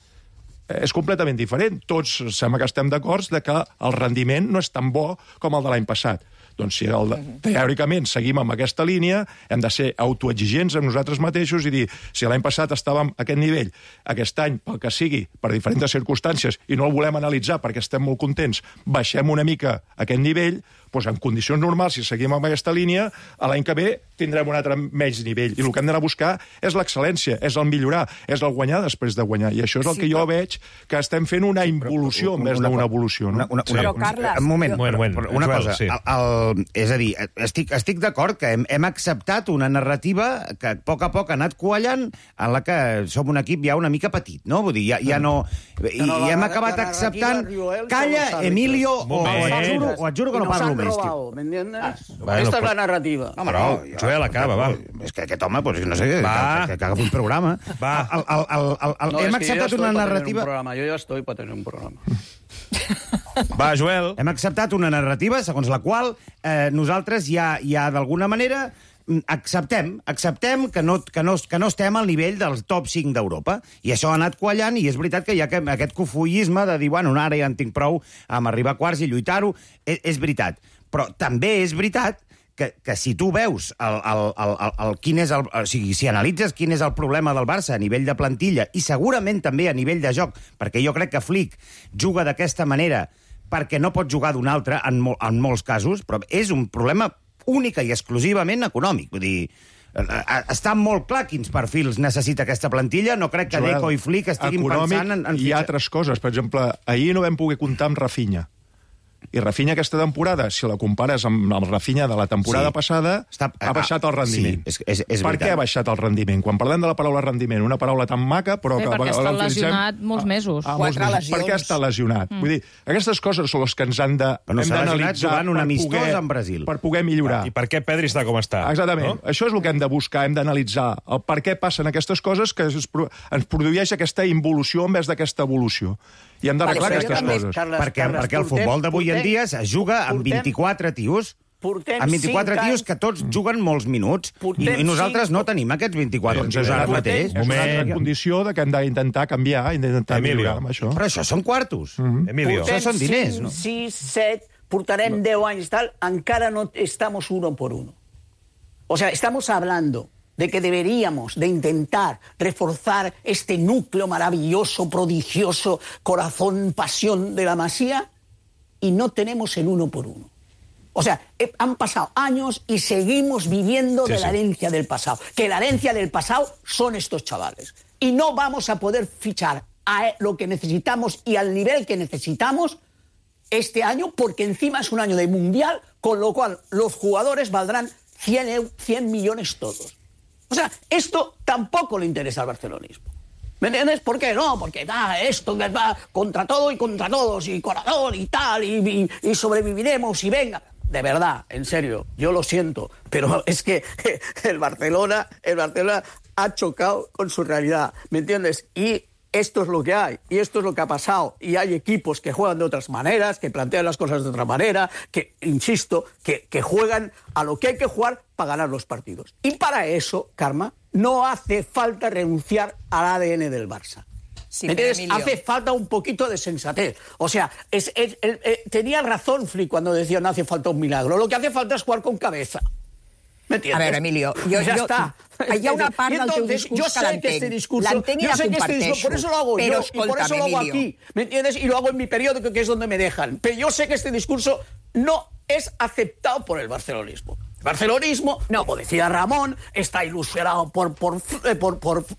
és completament diferent. Tots sembla que estem d'acord que el rendiment no és tan bo com el de l'any passat. Doncs si teòricament seguim amb aquesta línia, hem de ser autoexigents amb nosaltres mateixos i dir, si l'any passat estàvem a aquest nivell, aquest any, pel que sigui, per diferents circumstàncies, i no el volem analitzar perquè estem molt contents, baixem una mica aquest nivell, doncs en condicions normals, si seguim amb aquesta línia, l'any que ve tindrem un altre menys nivell. I el que hem d'anar a buscar és l'excel·lència, és el millorar, és el guanyar després de guanyar. I això és el que jo veig que estem fent una involució en vez d'una evolució. Però, Carles... Un moment, una cosa. És a dir, estic d'acord que hem acceptat una narrativa que a poc ha anat quallant en la que som un equip ja una mica petit, no? Vull dir, ja no... I hem acabat acceptant... Calla, Emilio, o et juro que no parlo més. ¿Me entiendes? Esta es la narrativa. No, però, Joel, acaba, va. És que aquest home, pues, no sé, que agafi un programa. Va. Hem acceptat una narrativa... Yo ya estoy para tener un programa. Va, Joel. Hem acceptat una narrativa segons la qual nosaltres ja d'alguna manera acceptem que no estem al nivell del top 5 d'Europa. I això ha anat quallant, i és veritat que hi ha aquest cofullisme de dir, bueno, ara ja en tinc prou amb arribar a quarts i lluitar-ho. És veritat. Però també és veritat que si tu veus si analitzes quin és el problema del Barça a nivell de plantilla i segurament també a nivell de joc, perquè jo crec que Flick juga d'aquesta manera perquè no pot jugar d'una altra en molts casos, però és un problema única i exclusivament econòmic. Vull dir, està molt clar quins perfils necessita aquesta plantilla. No crec que Deco i Flick estiguin pensant en... Hi ha altres coses. Per exemple, ahir no vam poder comptar amb Rafinha. I Rafinha aquesta temporada, si la compares amb el Rafinha de la temporada passada, ha baixat el rendiment. Sí, és per què ha baixat el rendiment? Quan parlem de la paraula rendiment, una paraula tan maca, però... perquè està lesionat molts mesos. 4 lesions. Per què està lesionat? Vull dir, aquestes coses són les que ens hem d'analitzar per poder millorar. I per què Pedri està com està? Exactament. Això és el que hem de buscar, hem d'analitzar el per què passen aquestes coses que ens produeix aquesta involució en vez d'aquesta evolució. I hem d'arreglar aquestes coses. Perquè el futbol d'avui en dia es juga amb 24 tios. Amb 24 tios que tots juguen molts minuts. I nosaltres no tenim aquests 24 tios ara mateix. És una altra condició que hem d'intentar canviar, intentar millorar amb això. Però això són quartos. Emilio, això són diners, no? 6, 7, portarem 10 anys tal, encara no estamos uno por uno. O sea, estamos hablando de que deberíamos de intentar reforzar este núcleo maravilloso, prodigioso, corazón, pasión de la Masía, y no tenemos el uno por uno. O sea, han pasado años y seguimos viviendo de la herencia del pasado. Que la herencia del pasado son estos chavales. Y no vamos a poder fichar a lo que necesitamos y al nivel que necesitamos este año, porque encima es un año de mundial, con lo cual los jugadores valdrán 100 millones todos. O sea, esto tampoco le interesa al barcelonismo. ¿Me entiendes? ¿Por qué no? Porque esto que va contra todo y contra todos, y corazón y tal, y sobreviviremos y venga. De verdad, en serio, yo lo siento, pero es que el Barcelona ha chocado con su realidad, ¿me entiendes? Y esto es lo que hay, y esto es lo que ha pasado, y hay equipos que juegan de otras maneras, que plantean las cosas de otra manera, que, insisto, que juegan a lo que hay que jugar para ganar los partidos. Y para eso, Karma, no hace falta renunciar al ADN del Barça. Sí, hace falta un poquito de sensatez. O sea, tenía razón Flick cuando decía no hace falta un milagro. Lo que hace falta es jugar con cabeza. ¿Me entiendes? A veure, Emilio, ya está. Hi ha una part del teu discurs que l'entenc. L'entenc i la comparteixo. Por eso lo hago yo, y por eso lo hago aquí. ¿Me entiendes? Y lo hago en mi periódico, que es donde me dejan. Pero yo sé que este discurso no es aceptado por el barcelonismo. El barcelonismo, no, como decía Ramón, está ilusionado por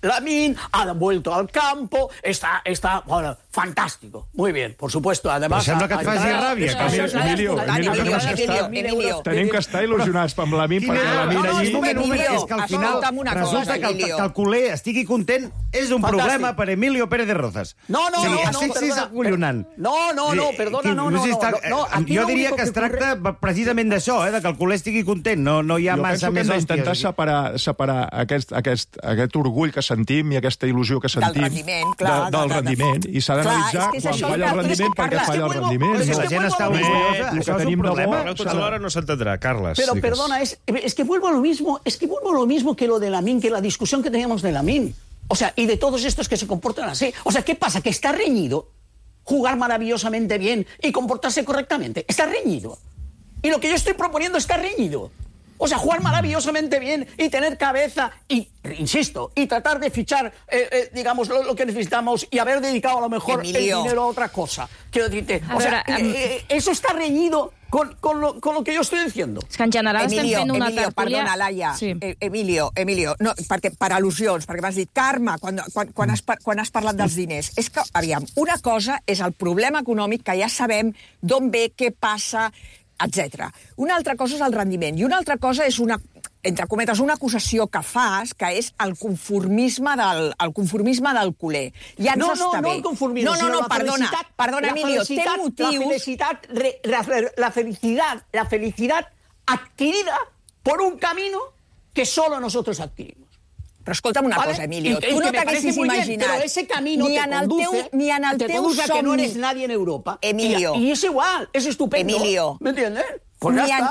Lamine, ha vuelto al campo, está bueno, fantástico. Muy bien, por supuesto. Además, sembla que et faci ràbia. Emilio, tenim que estar il·lusionats amb Lamine, perquè Lamine allí... És que al final resulta que el culer estigui content és un problema per Emilio Pérez de Rozas. No, perdona, jo diria que es tracta precisament d'això, que el culer estigui content suficient, no hi ha massa més hòsties. Jo penso que hem d'intentar separar aquest orgull que sentim i aquesta il·lusió que sentim... Del rendiment, clar. Del rendiment, i s'ha d'analitzar quan falla el rendiment, per què falla el rendiment. Si la gent està orgullosa, això és un problema. Tots alhora no s'entendrà, Carles. Pero perdona, es que vuelvo a lo mismo que lo de Lamine, que la discusión que teníamos de Lamine. O sea, y de todos estos que se comportan así. O sea, ¿qué pasa? Que está reñido jugar maravillosamente bien y comportarse correctamente. Está reñido. Y lo que yo estoy proponiendo está reñido. O sea, jugar maravillosamente bien y tener cabeza y, insisto, y tratar de fichar, digamos, lo que necesitamos y haber dedicado a lo mejor el dinero a otra cosa. Quiero decirte, o sea, eso está reñido con lo que yo estoy diciendo. És que en general estem fent una tertúlia... Perdona, Laia. Sí. Emilio, no, perquè per al·lusions, perquè m'has dit, Carme, quan has parlat dels diners. És que, aviam, una cosa és el problema econòmic, que ja sabem d'on ve, què passa, etc. Una altra cosa és el rendiment, i una altra cosa és entre cometes, una acusació que fas, que és el conformisme del culer. Ja ens està bé. No el conformisme, sinó perdona, Emilio, té motius... La felicidad adquirida por un camino que solo nosotros adquirimos. Però escolta'm una cosa, Emilio, tu no t'haguessis imaginat... Pero ese camino te conduce a que no eres nadie en Europa. Emilio. Y es igual, es estupendo. Emilio. ¿Me entiendes?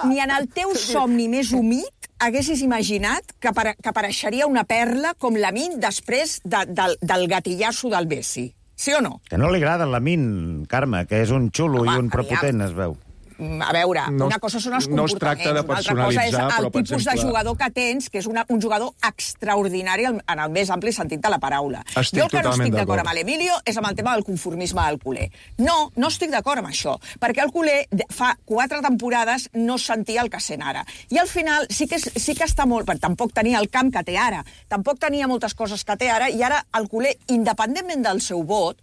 Ni en el teu somni més humit haguessis imaginat que apareixeria una perla com Lamine després del gatillasso del Messi. Sí o no? Que no li agrada el Lamine, Carme, que és un xulo i un prepotent, es veu. A veure, una cosa són els comportaments, no es tracta de una altra cosa és el tipus de jugador que tens, que és un jugador extraordinari en el més ampli sentit de la paraula. Jo el que no estic d'acord amb l'Emilio és amb el tema del conformisme del culer. No estic d'acord amb això, perquè el culer fa 4 temporades no sentia el que sent ara. I al final sí que està molt... Tampoc tenia el camp que té ara, tampoc tenia moltes coses que té ara, i ara el culer, independentment del seu vot,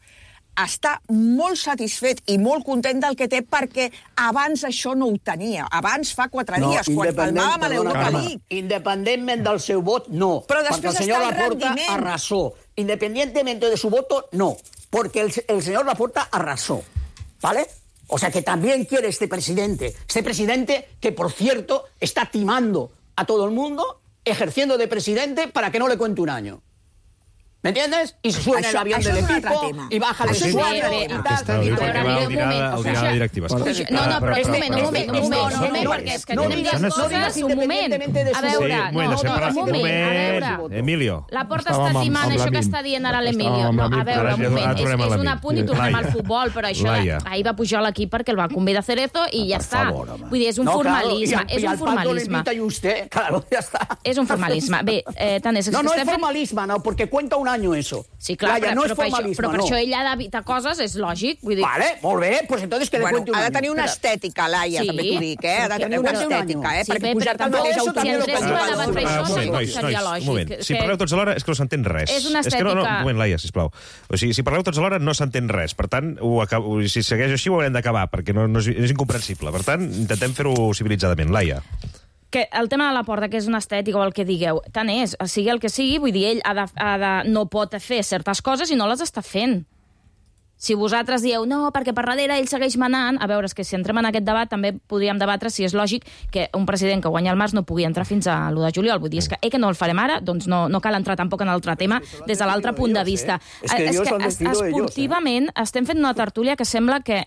està molt satisfet i molt content del que té, perquè abans això no ho tenia. Abans, fa 4 dies, quan palmàvem a l'Europa League. Independientemente del seu vot, no. Però després perquè el senyor Laporta arrasó. Independientemente de su voto, no. Porque el señor Laporta arrasó. ¿Vale? O sea que también quiere este presidente que, por cierto, está timando a todo el mundo, ejerciendo de presidente para que no le cuente un año. ¿Me entiendes? Y se sube en el avión del equipo y baja el usuario y tal. No, però un moment, perquè és que tenim dues coses, un moment. A veure, Emilio. La Porta està timant això que està dient ara l'Emilio. No, a veure, un moment, és un apunt i tornem al futbol, però això ahir va pujar a l'equip perquè el va convidar Cerezo i ja està. Vull dir, és un formalisme. És un formalisme. És un formalisme. Bé, tant és... No es formalisme, no, porque cuenta un año eso. Sí, clar, però per això ell ha d'evitar coses, és lògic. Vale, molt bé, pues entonces que le cuente un año. Ha de tenir una estètica, Laia, també t'ho dic, Ha de tenir una estètica, perquè pujar-te al mateix autobús seria lògic. Si parleu tots alhora és que no s'entén res. És una estètica... Un moment, Laia, sisplau. O sigui, si parleu tots alhora no s'entén res. Per tant, si segueix així ho haurem d'acabar, perquè és incomprensible. Per tant, intentem fer-ho civilitzadament. Laia. Que el tema de la Porta, que és una estètica o el que digueu, tant és, sigui el que sigui, vull dir, ell no pot fer certes coses i no les està fent. Si vosaltres dieu, no, perquè per darrere ell segueix manant, a veure, és que si entrem en aquest debat també podríem debatre si és lògic que un president que guanya el març no pugui entrar fins a l'1 de juliol. Vull dir, és que no el farem ara, doncs no cal entrar tampoc en l'altre tema des de l'altre punt de vista. És que esportivament estem fent una tertúlia que sembla que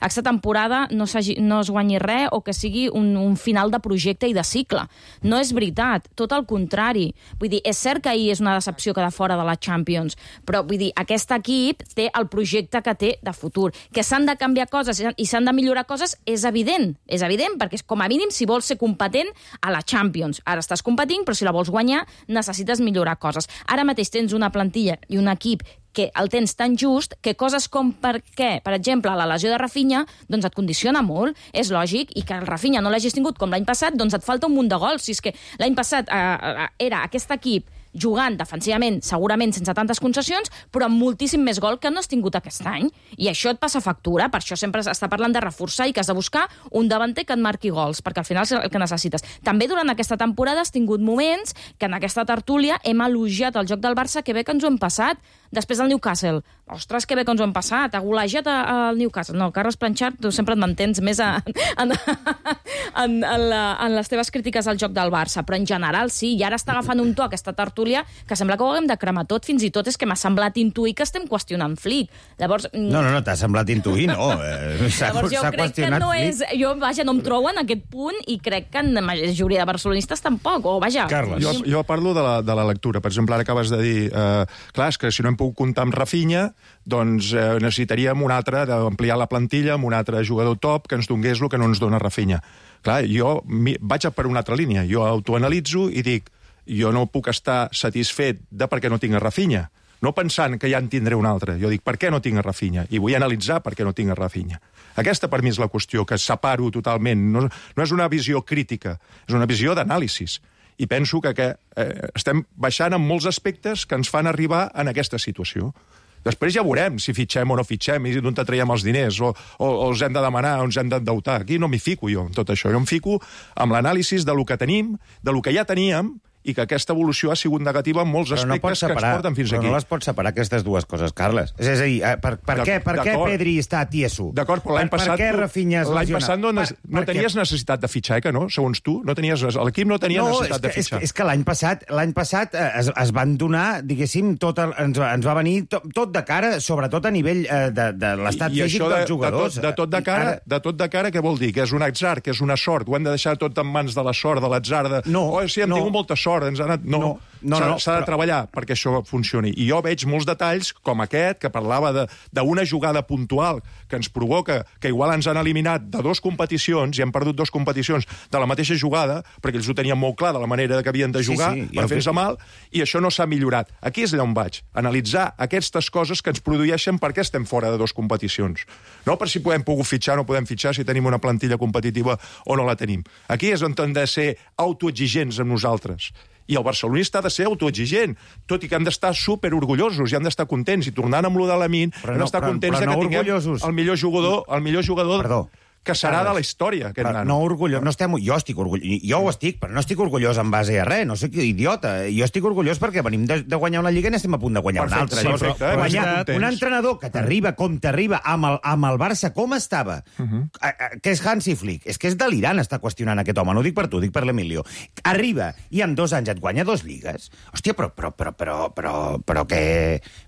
aquesta temporada no es guanyi res o que sigui un final de projecte i de cicle. No és veritat, tot el contrari. Vull dir, és cert que ahir és una decepció quedar fora de la Champions, però vull dir, aquest equip té el projecte que té de futur. Que s'han de canviar coses i s'han de millorar coses és evident, perquè com a mínim si vols ser competent a la Champions. Ara estàs competint, però si la vols guanyar necessites millorar coses. Ara mateix tens una plantilla i un equip que el tens tan just que coses com per exemple, la lesió de Rafinha, doncs et condiciona molt, és lògic, i que el Rafinha no l'hagis tingut com l'any passat, doncs et falta un munt de gols. Si és que l'any passat era aquest equip jugant defensivament, segurament sense tantes concessions, però amb moltíssim més gol que no has tingut aquest any. I això et passa factura, per això sempre s'està parlant de reforçar i que has de buscar un davanter que et marqui gols, perquè al final és el que necessites. També durant aquesta temporada has tingut moments que en aquesta tertúlia hem elogiat el joc del Barça, que bé que ens ho hem passat, després del Newcastle. Ostres, que bé que ens ho hem passat, ha golejat el Newcastle. No, Carles Planchard, tu sempre et mantens més en les teves crítiques al joc del Barça, però en general sí, i ara està agafant un to aquesta tertúlia que sembla que ho haguem de cremar tot, fins i tot és que m'ha semblat intuir que estem qüestionant Flick. Llavors... No, t'ha semblat intuir, no. Llavors jo crec que no és... Jo, vaja, no em trobo en aquest punt i crec que en la majoria de barcelonistes tampoc, o vaja... Carles. Jo parlo de la lectura. Per exemple, ara acabes de dir... clar, és que si no hem pogut comptar amb Rafinha, doncs necessitaríem un altre, d'ampliar la plantilla amb un altre jugador top que ens donés el que no ens dona Rafinha. Clar, jo vaig per una altra línia. Jo autoanalitzo i dic, jo no puc estar satisfet de per què no tinc a Rafinha. No pensant que ja en tindré un altre. Jo dic, per què no tinc a Rafinha? I vull analitzar per què no tinc a Rafinha. Aquesta, per mi, és la qüestió, que separo totalment. No és una visió crítica, és una visió d'anàlisis. I penso que estem baixant en molts aspectes que ens fan arribar en aquesta situació. Després ja veurem si fitxem o no fitxem, i d'on traiem els diners, o els hem de demanar, o ens hem d'endeutar. Aquí no m'hi fico jo, en tot això. Jo em fico amb l'anàlisi del que tenim, del que ja teníem, i que aquesta evolució ha sigut negativa en molts aspectes que ens porten fins aquí. Però no les pots separar, aquestes dues coses, Carles. És a dir, per què Pedri està tieso? D'acord, però l'any passat... Per què Rafinha es lesiona? L'any passat no tenies necessitat de fitxar, que no? Segons tu, l'equip no tenia necessitat de fitxar. És que l'any passat es van donar, diguéssim, ens va venir tot de cara, sobretot a nivell de l'estat físic dels jugadors. De tot de cara, què vol dir? Que és un atzar, que és una sort? Ho hem de deixar tot en mans de la sort, de l'atzar? No. Sí, hem tingut molta sort. S'ha de treballar perquè això funcioni. I jo veig molts detalls, com aquest, que parlava d'una jugada puntual que ens provoca, que igual ens han eliminat de 2 competicions, i hem perdut 2 competicions de la mateixa jugada, perquè ells ho tenien molt clar de la manera que havien de jugar, per fer-se mal, i això no s'ha millorat. Aquí és allà on vaig. Analitzar aquestes coses que ens produeixen per què estem fora de 2 competicions. No per si podem pogut fitxar o no podem fitxar, si tenim una plantilla competitiva o no la tenim. Aquí és on hem de ser autoexigents amb nosaltres. I el barcelonista ha de ser autoexigent, tot i que hem d'estar superorgullosos i hem d'estar contents. I tornant amb lo de Lamine, hem d'estar contents que tinguem el millor jugador que serà de la història, aquest nano. No orgullós, jo estic orgullós, jo ho estic, però no estic orgullós en base a res, no soc idiota. Jo estic orgullós perquè venim de guanyar una lliga i estem a punt de guanyar una altra. Guanyar un entrenador que t'arriba com t'arriba amb el Barça com estava, que és Hansi Flick, és que és delirant estar qüestionant aquest home, no ho dic per tu, dic per l'Emilio. Arriba i en 2 anys et guanya 2 lligues. Hòstia, però què...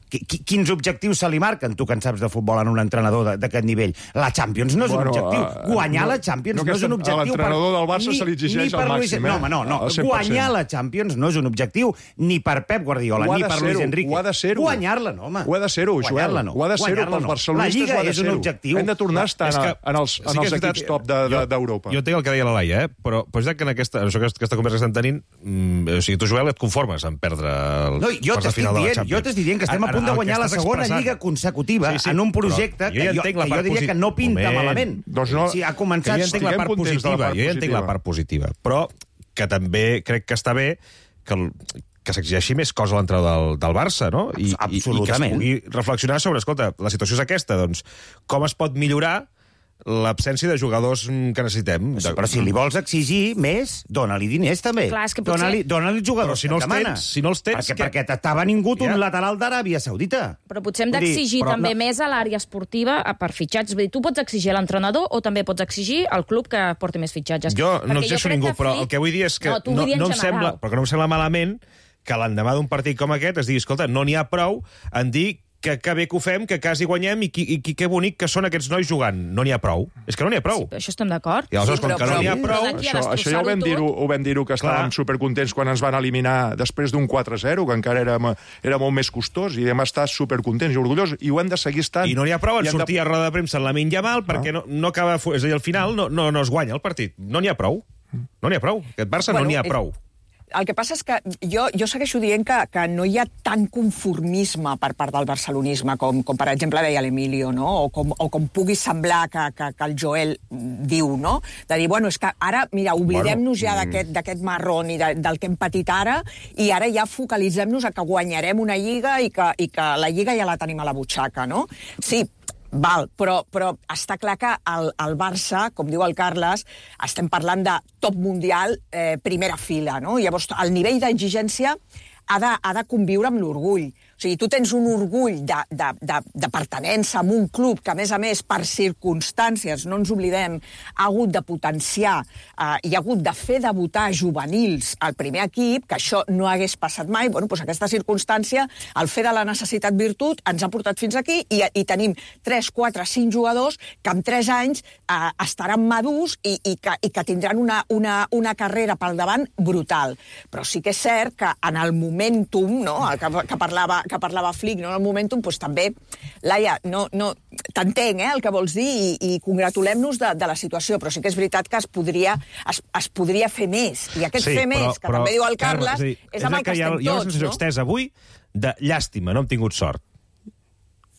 Quins objectius se li marquen, tu que en saps de futbol, en un entrenador d'aquest nivell? La Champions no és un objectiu. Guanyar la Champions no és un objectiu. A l'entrenador del Barça se li exigeix al màxim. No. Guanyar la Champions no és un objectiu ni per Pep Guardiola, ni per Luis Enrique. Ho ha de ser-ho. Guanyar-la, no, home. Ho ha de ser-ho, Joel. Ho ha de ser-ho pels barcelonistes. La Lliga és un objectiu. Hem de tornar a estar en els equips top d'Europa. Jo entenc el que deia la Laia, però és que en aquesta conversa que estem tenint, o sigui, tu, Joel, et conformes en perdre el final de la Champions. Jo t'estic dient que estem a punt de guanyar la segona lliga consecutiva en un projecte que jo diria que no pinta malament. Si ha començat... Jo ja entenc la part positiva, però que també crec que està bé que s'exigeixi més cosa a l'entrenador del Barça, no? I que es pugui reflexionar sobre, escolta, la situació és aquesta, doncs, com es pot millorar l'absència de jugadors que necessitem. Però si li vols exigir més, dona-li diners també. Clar, és que potser... Dona-li jugadors que demana. Si no els tens... Perquè t'ha vingut un lateral d'Aràbia Saudita. Però potser hem d'exigir també més a l'àrea esportiva per fitxatges. Vull dir, tu pots exigir a l'entrenador o també pots exigir al club que porti més fitxatges. Jo no exigeixo ningú, però el que vull dir és que no em sembla malament que l'endemà d'un partit com aquest es digui, escolta, no n'hi ha prou en dir que bé que ho fem, que quasi guanyem i que bonic que són aquests nois jugant. No n'hi ha prou. És que no n'hi ha prou. Sí, això estem d'acord. I aleshores, com que no n'hi ha prou... Això ja ho vam dir-ho, que estàvem supercontents quan ens van eliminar després d'un 4-0, que encara era molt més costós, i hem estat supercontents i orgullosos, i ho hem de seguir estant. I no n'hi ha prou en sortir a roda de premsa en Lamine Yamal, perquè no acaba... És a dir, al final no es guanya el partit. No n'hi ha prou. No n'hi ha prou. Aquest Barça no n'hi ha prou. El que passa és que jo segueixo dient que no hi ha tant conformisme per part del barcelonisme, com per exemple deia l'Emilio, no? O com pugui semblar que el Joel diu, no? De dir, bueno, és que ara, mira, oblidem-nos ja d'aquest marrón i del que hem patit ara, i ara ja focalitzem-nos a que guanyarem una lliga i que la lliga ja la tenim a la butxaca, no? Sí, val, però està clar que el Barça, com diu el Carles, estem parlant de top mundial, primera fila, no? Llavors, el nivell d'exigència ha de conviure amb l'orgull. O sigui, tu tens un orgull de pertenença a un club que, a més, per circumstàncies, no ens oblidem, ha hagut de potenciar i ha hagut de fer debutar juvenils al primer equip, que això no hagués passat mai. Bueno, doncs aquesta circumstància, el fer de la necessitat virtut, ens ha portat fins aquí i tenim 3, 4, 5 jugadors que en 3 anys estaran madurs i que tindran una carrera pel davant brutal. Però sí que és cert que en el momentum, no?, que parlava Flick, no? En el momentum, doncs també, Laia, t'entenc el que vols dir i congratulem-nos de la situació, però sí que és veritat que es podria fer més. I aquest fer més, que també diu el Carles, és amb el que estem tots, no? Hi ha una sensació extesa avui de llàstima, no hem tingut sort.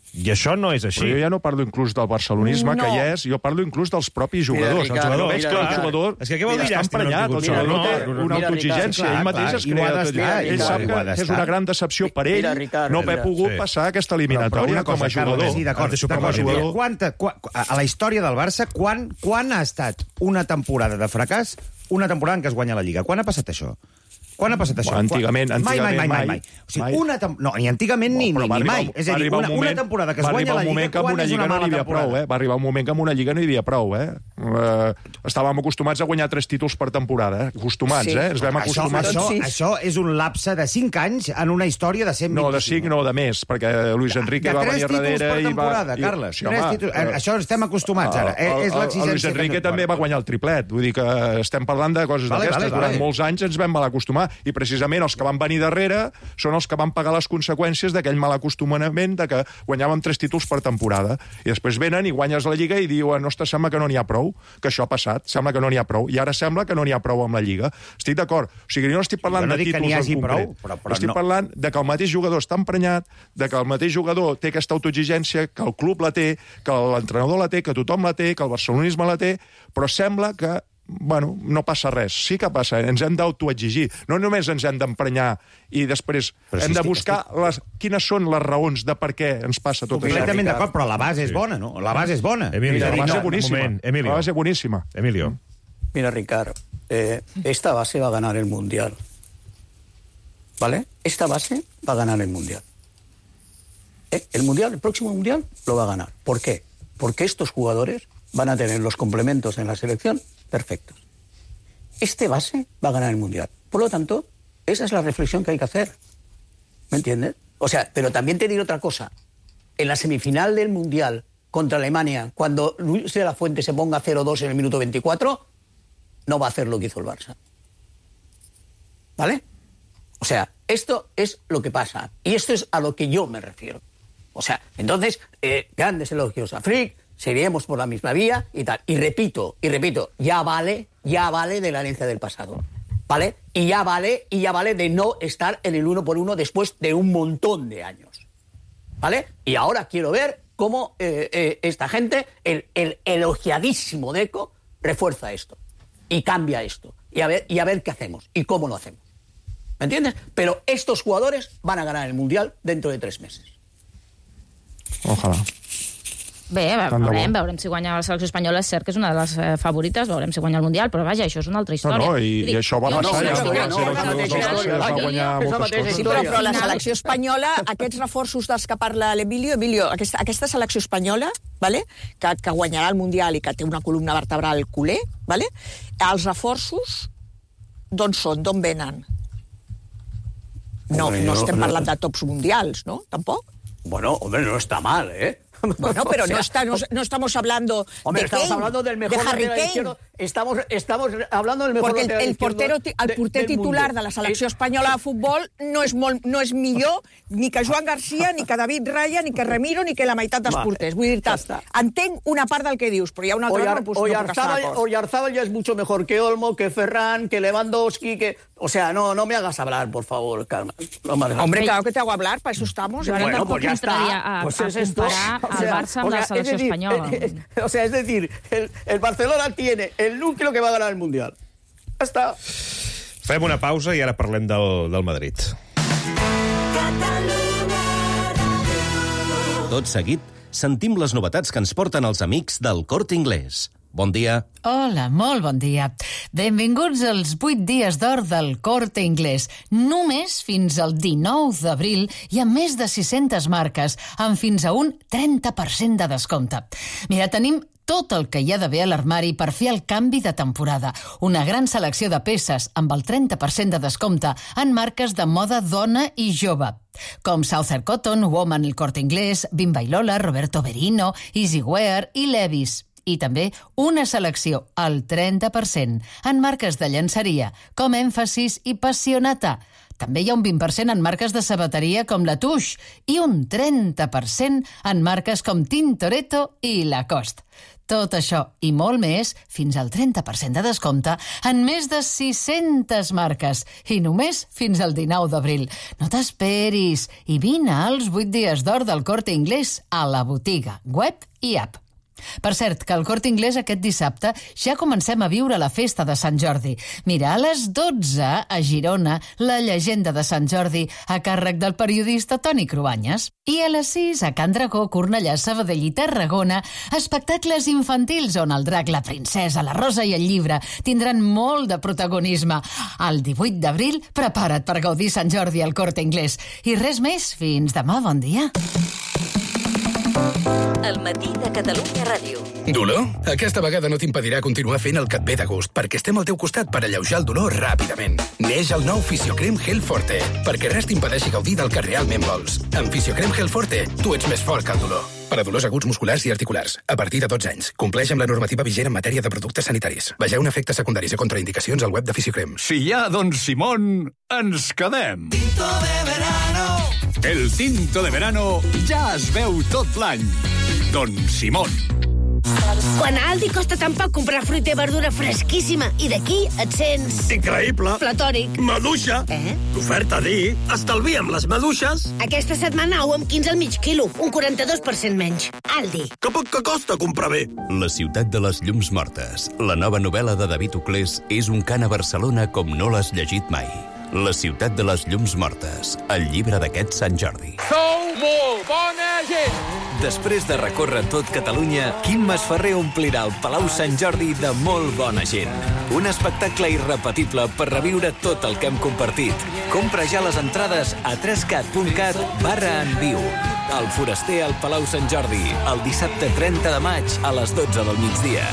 I això no és així. Però jo ja no parlo inclús del barcelonisme, que hi és, jo parlo inclús dels propis jugadors. El jugador veig que el jugador està emprenyat, el jugador té una autoexigència, ell mateix es crea. Ell sap que és una gran decepció per ell no haver pogut passar aquesta eliminatòria com a jugador. Sí, d'acord. A la història del Barça, quan ha estat una temporada de fracàs, una temporada en què es guanya la Lliga? Quan ha passat això? Quan ha passat això? Antigament, mai. O sigui, no, ni antigament ni mai. És a dir, una temporada que es guanya la Lliga, quan és una mala temporada? Va arribar un moment que amb una Lliga no hi havia prou, Estàvem acostumats a guanyar 3 títols per temporada, Acostumats, Ens vam acostumar... Això és un lapse de 5 anys en una història de 125. No, de 5 no, de més, perquè Luis Enrique va venir darrere i va... 3 títols per temporada, Carles. Això estem acostumats ara. És l'exigència. Luis Enrique també va guanyar el triplet. Vull dir que estem parlant de coses d'aquestes. Durant molts anys ens vam mal acostumar. I precisament els que van venir darrere són els que van pagar les conseqüències d'aquell mal acostumament de que guanyàvem 3 títols per temporada. I després venen i guanyes la Lliga i diuen, ostres, sembla que no n'hi ha prou, que això ha passat, sembla que no n'hi ha prou. I ara sembla que no n'hi ha prou amb la Lliga. Estic d'acord. O sigui, jo no estic parlant de títols en concret. Estic parlant de que el mateix jugador està emprenyat, de que el mateix jugador té aquesta autoexigència, que el club la té, que l'entrenador la té, que tothom la té, que el barcelonisme la té, però sembla que no passa res. Sí que passa, ens hem d'autoexigir. No només ens hem d'emprenyar i després hem de buscar quines són les raons de per què ens passa tot això. Completament d'acord, però la base és bona, no? La base és bona. La base boníssima. La base boníssima. Emilio. Mira, Ricard, esta base va a ganar el Mundial. ¿Vale? Esta base va a ganar el Mundial. El próximo Mundial lo va a ganar. ¿Por qué? Porque estos jugadores van a tener los complementos en la selección perfectos. Este base va a ganar el Mundial. Por lo tanto, esa es la reflexión que hay que hacer. ¿Me entiendes? O sea, pero también te diré otra cosa. En la semifinal del Mundial contra Alemania, cuando Luis de la Fuente se ponga 0-2 en el minuto 24, no va a hacer lo que hizo el Barça. ¿Vale? O sea, esto es lo que pasa. Y esto es a lo que yo me refiero. O sea, entonces, grandes elogios a Flick, seguiremos por la misma vía y tal. Y repito, ya vale de la herencia del pasado, ¿vale? Y ya vale de no estar en el 1 por 1 después de un montón de años, ¿vale? Y ahora quiero ver cómo esta gente, el elogiadísimo Deco, refuerza esto y cambia esto y a ver qué hacemos y cómo lo hacemos. ¿Me entiendes? Pero estos jugadores van a ganar el Mundial dentro de 3 meses. Ojalà. Bé, veurem si guanya la selecció espanyola. És cert que és una de les favorites, veurem si guanya el Mundial, però vaja, això és una altra història. No, i això va passar ja. Sí, però la selecció espanyola, aquests reforços dels que parla l'Emilio, aquesta selecció espanyola, que guanyarà el Mundial i que té una columna vertebral culer, els reforços d'on són, d'on venen? No estem parlant de tops mundials, ¿no? ¿Tampoco? Bueno, hombre, no está mal, ¿eh? Bueno, pero no estamos hablando de estamos hablando del mejor de Harry Kane. Estamos hablando del mejor porque el porter titular de la selecció espanyola de futbol no és millor ni que Joan García, ni que David Raya, ni que Remiro, ni que la meitat dels porters. Vull dir-te, entenc una part del que dius, però hi ha una altra que no puc estar d'acord. Oyarzábal ya es mucho mejor que Olmo, que Ferran, que Lewandowski, que... O sea, no me hagas hablar, por favor, Carmen. Hombre, claro que te hago hablar, para eso estamos. Bueno, pues ya está. Pues es esto. Comparar al Barça amb la selecció espanyola. O sea, es decir, el Barcelona tiene el núcleo que va a ganar el Mundial. Ja està. Fem una pausa i ara parlem del Madrid. Tot seguit, sentim les novetats que ens porten els amics del Corte Inglés. Bon dia. Hola, molt bon dia. Benvinguts als 8 dies d'or del Corte Inglés. Només fins al 19 d'abril hi ha més de 600 marques, amb fins a un 30% de descompte. Mira, tenim tot el que hi ha d'haver a l'armari per fer el canvi de temporada. Una gran selecció de peces amb el 30% de descompte en marques de moda dona i jove, com Southern Cotton, Woman, El Corte Inglés, Bimba i Lola, Roberto Berino, Easywear i Levi's. I també una selecció al 30% en marques de llenceria, com Èmfasis i Passionata. També hi ha un 20% en marques de sabateria com La Touche i un 30% en marques com Tintoretto i Lacoste. Tot això i molt més, fins al 30% de descompte, en més de 600 marques, i només fins al 19 d'abril. No t'esperis i vine als 8 dies d'or del Corte Inglés a la botiga, web i app. Per cert, que al Corte Inglés aquest dissabte ja comencem a viure la festa de Sant Jordi. Mira, a les 12 a Girona, la llegenda de Sant Jordi a càrrec del periodista Toni Cruanyes. I a les 6 a Can Dragó, Cornellà, Sabadell i Tarragona, espectacles infantils on el drac, la princesa, la rosa i el llibre tindran molt de protagonisme. El 18 d'abril, prepara't per gaudir Sant Jordi al Corte Inglés. I res més, fins demà, bon dia. El matí de Catalunya Ràdio. Dolor? Aquesta vegada no t'impedirà continuar fent el que et ve de gust, perquè estem al teu costat per alleujar el dolor ràpidament. Neix el nou Fisiocrem Gel Forte, perquè res t'impedeixi gaudir del que realment vols. Amb Fisiocrem Gel Forte, tu ets més fort que el dolor. Per a dolors aguts musculars i articulars, a partir de 12 anys. Compleix amb la normativa vigent en matèria de productes sanitaris. Vegeu efectes secundaris i contraindicacions al web de Fisiocrem. Si hi ha Don Simón, ens quedem. Tinto de verano. El tinto de verano ja es veu tot l'any. Don Simón. Quan a Aldi costa tan poc comprar fruita i verdura fresquíssima i d'aquí et sents... Increïble. Platòric. Maduixa. L'oferta dir, estalviem les maduixes. Aquesta setmana ou amb 15 al mig quilo, un 42% menys. Aldi. Que poc que costa comprar bé. La ciutat de les llums mortes. La nova novel·la de David Uclés és un cant a Barcelona com no l'has llegit mai. La ciutat de les llums mortes. El llibre d'aquest Sant Jordi. Sou molt bona gent! Després de recórrer tot Catalunya, Quim Masferrer omplirà el Palau Sant Jordi de molt bona gent. Un espectacle irrepetible per reviure tot el que hem compartit. Compra ja les entrades a 3cat.cat/enviu. El Foraster al Palau Sant Jordi, el dissabte 30 de maig a les 12 del migdia.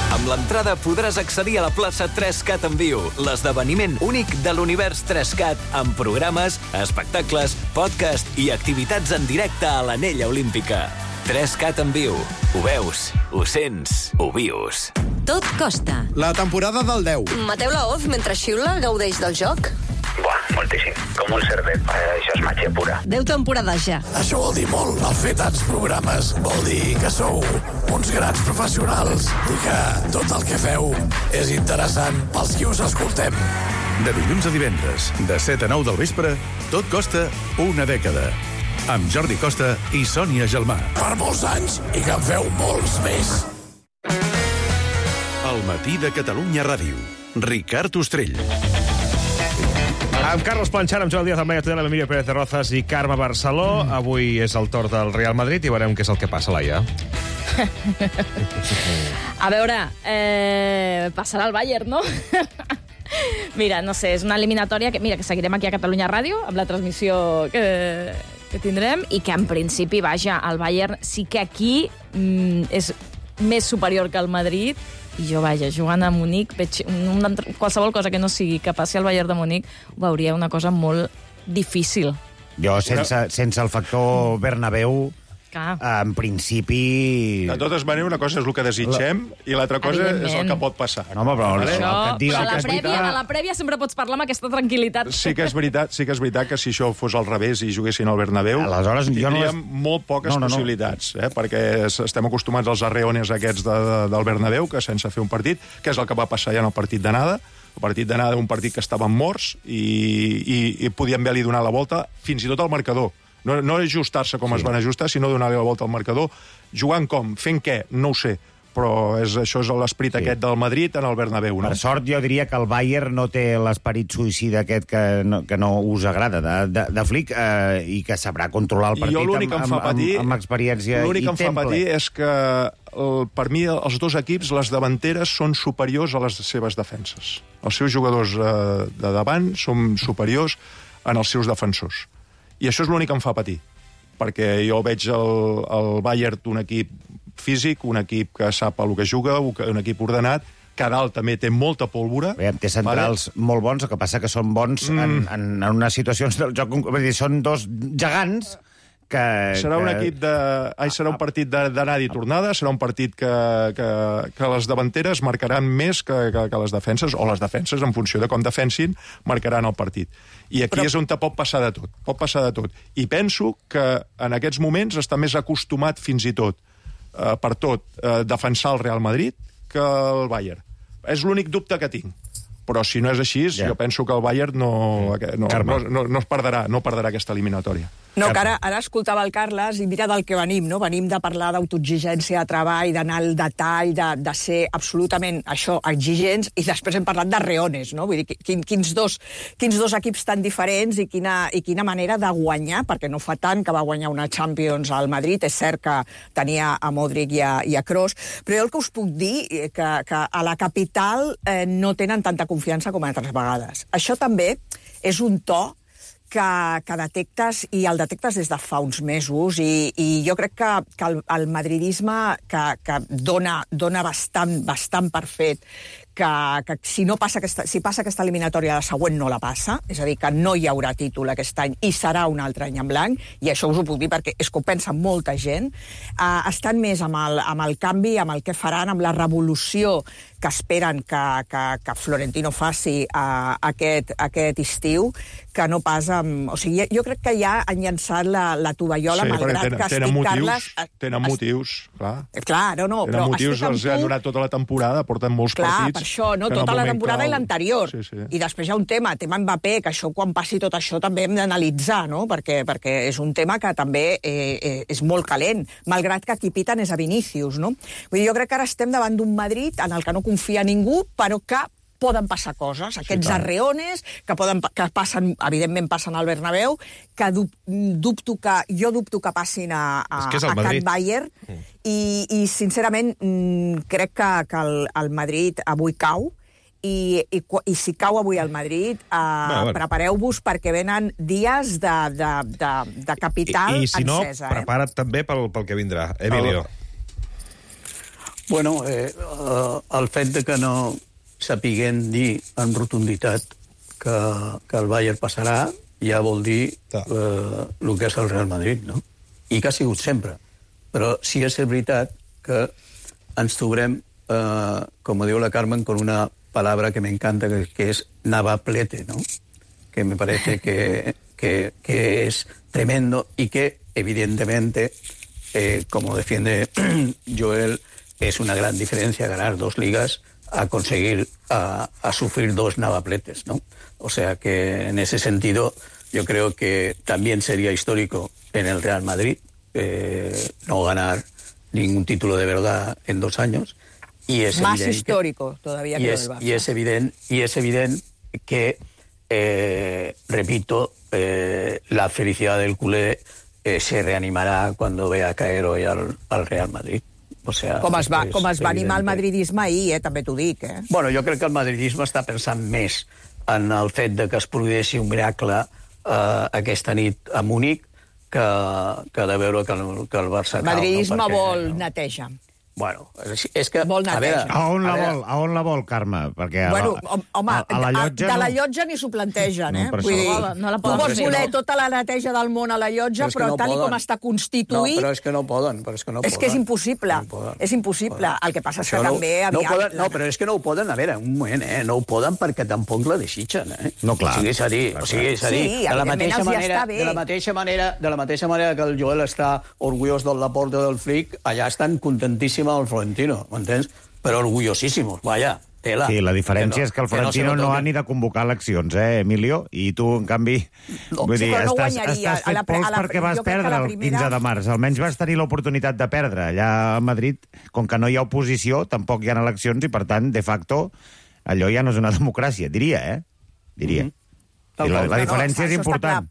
Amb l'entrada podràs accedir a la plaça 3Cat en viu, l'esdeveniment únic de l'univers 3Cat, amb programes, espectacles, podcast i activitats en directe a l'Anella Olímpica. 3Cat en viu. Ho veus, ho sents, ho vius. Tot costa. La temporada del 10. Mateu Laoz, mentre xiula, gaudeix del joc? Buah, moltíssim. Com un cerdet. Això és màgia pura. 10 temporades ja. Això vol dir molt. El fer tants programes vol dir que sou uns grans professionals i que tot el que feu és interessant pels qui us escoltem. De dilluns a divendres, de 7 a 9 del vespre, tot costa una dècada. Amb Jordi Costa i Sònia Gelmà. Per molts anys i que en feu molts més. El matí de Catalunya Ràdio. Ricard Ostrell. Amb Carlos Planchar, amb Joan Díaz Almeida, Tudela, Emilio Pérez de Rozas i Carme Barceló. Avui és el torn del Real Madrid i veurem què és el que passa, Laia. A veure, passarà el Bayern, no? Mira, no sé, és una eliminatòria que seguirem aquí a Catalunya Ràdio, amb la transmissió que tindrem, i que en principi, vaja, el Bayern sí que aquí és més superior que el Madrid. I jo, vaja, jugant a Munic, veig qualsevol cosa que no sigui que passi al Bayern de Munic, ho veuria una cosa molt difícil. Jo, sense el factor Bernabéu, en principi... De totes maneres, una cosa és el que desitgem i l'altra cosa és el que pot passar. No, home, però a la prèvia sempre pots parlar amb aquesta tranquil·litat. Sí que és veritat que si això fos al revés i juguessin al Bernabéu, tindríem molt poques possibilitats, perquè estem acostumats als arreones aquests del Bernabéu, que sense fer un partit, que és el que va passar ja en el partit d'anada. El partit d'anada era un partit que estaven morts i podien haver-li donat la volta fins i tot al marcador. No ajustar-se com es van ajustar, sinó donar-li la volta al marcador. Jugant com? Fent què? No ho sé. Però això és l'esperit aquest del Madrid en el Bernabéu, no? Per sort, jo diria que el Bayern no té l'esperit suïcida aquest que no us agrada de Flick i que sabrà controlar el partit amb experiència i temple. L'únic que em fa patir és que, per mi, els dos equips, les davanteres són superiors a les seves defenses. Els seus jugadors de davant són superiors en els seus defensors. I això és l'únic que em fa patir, perquè jo veig el Bayern un equip físic, un equip que sap el que juga, un equip ordenat, que a dalt també té molta pólvora. Té centrals molt bons, el que passa que són bons en unes situacions del joc... Vull dir, són dos gegants que... Serà un partit d'anada i tornada, serà un partit que les davanteres marcaran més que les defenses, o les defenses, en funció de com defensin, marcaran el partit. I aquí és on pot passar de tot. Pot passar de tot. I penso que en aquests moments està més acostumat fins i tot defensar el Real Madrid que el Bayern. És l'únic dubte que tinc. Però si no és així, jo penso que el Bayern no es perdrà aquesta eliminatòria. No, que ara escoltava el Carles i mira del que venim, no? Venim de parlar d'autoexigència de treball, d'anar al detall, de ser absolutament, exigents, i després hem parlat de reones, no? Vull dir, quins dos equips tan diferents i quina manera de guanyar, perquè no fa tant que va guanyar una Champions al Madrid, és cert que tenia a Modric i a Kroos, però jo el que us puc dir que a la capital no tenen tanta confiança com altres vegades. Això també és un to que detectes, i el detectes des de fa uns mesos, i jo crec que el madridisme que dona bastant per fet que si passa aquesta eliminatòria, la següent no la passa, és a dir, que no hi haurà títol aquest any i serà un altre any en blanc, i això us ho puc dir perquè és que ho pensa molta gent, estan més amb el canvi, amb el que faran, amb la revolució que esperen que Florentino faci aquest estiu, que no pas amb... O sigui, jo crec que ja han llançat la tovallola, malgrat que estic, Carles... Tenen motius, clar. Clar, no, però... Tenen motius, els han donat tota la temporada, porten molts partits... Això, no? Tota la temporada i l'anterior. I després hi ha un tema Mbappé, que això, quan passi tot això, també hem d'analitzar, no? Perquè és un tema que també és molt calent, malgrat que qui piten és a Vinícius, no? Vull dir, jo crec que ara estem davant d'un Madrid en el que no confia ningú, però que poden passar coses, aquests arreones que passen, evidentment passen al Bernabéu, que jo dubto que passin a Can Bayern, i sincerament crec que el Madrid avui cau, i si cau avui el Madrid, prepareu-vos perquè venen dies de capital encesa. I si no, prepara't també pel que vindrà. Emilio. Bueno, el fet de que no sapiguem dir amb rotunditat que el Bayern passarà, ja vol dir el que és el Real Madrid, no? I que ha sigut sempre. Però sí és veritat que ens trobarem, com diu la Carmen, con una palabra que me encanta, que es navaplete, ¿no? Que me parece que es tremendo y que, evidentemente, como defiende Joel, es una gran diferencia ganar 2 ligas a conseguir a sufrir 2 navapletes, ¿no? O sea que en ese sentido yo creo que también sería histórico en el Real Madrid no ganar ningún título de verdad en 2 años. Y es más histórico todavía que el Barça. Y es evidente que, repito, la felicidad del culé se reanimará cuando vea caer hoy al Real Madrid. O sea, com es va animar el madridisme ahir, també t'ho dic. Bueno, jo crec que el madridisme està pensant més en el fet de que es produeixi un miracle aquesta nit a Múnich que de veure que el Barça... El madridisme vol neteja. Bueno, és que... A veure... A on la vol, Carme? Perquè bueno, home, a la llotja... de la llotja ni s'ho plantegen, No, Vull dir, no la tu poden vols fer, voler no? tota la neteja del món a la llotja, però tal com està constituït... No, però és que no poden, És que és impossible. És impossible. El que passa és que també... No, però és que no ho poden, a veure, un moment, no ho poden perquè tampoc la desitgen, No, clar. O sigui, és a dir, de la mateixa manera que el Joel està orgullós del Laporte del Flick, allà estan contentíssim el Florentino, m'entens? Però orgullosíssimos, vaja, tela. Sí, la diferència és que el Florentino no ha ni de convocar eleccions, Emilio? I tu, en canvi, vull dir, estàs fet pols perquè vas perdre el 15 de març. Almenys vas tenir l'oportunitat de perdre. Allà a Madrid, com que no hi ha oposició, tampoc hi ha eleccions i, per tant, de facto, allò ja no és una democràcia, diria. Diria. La diferència és important.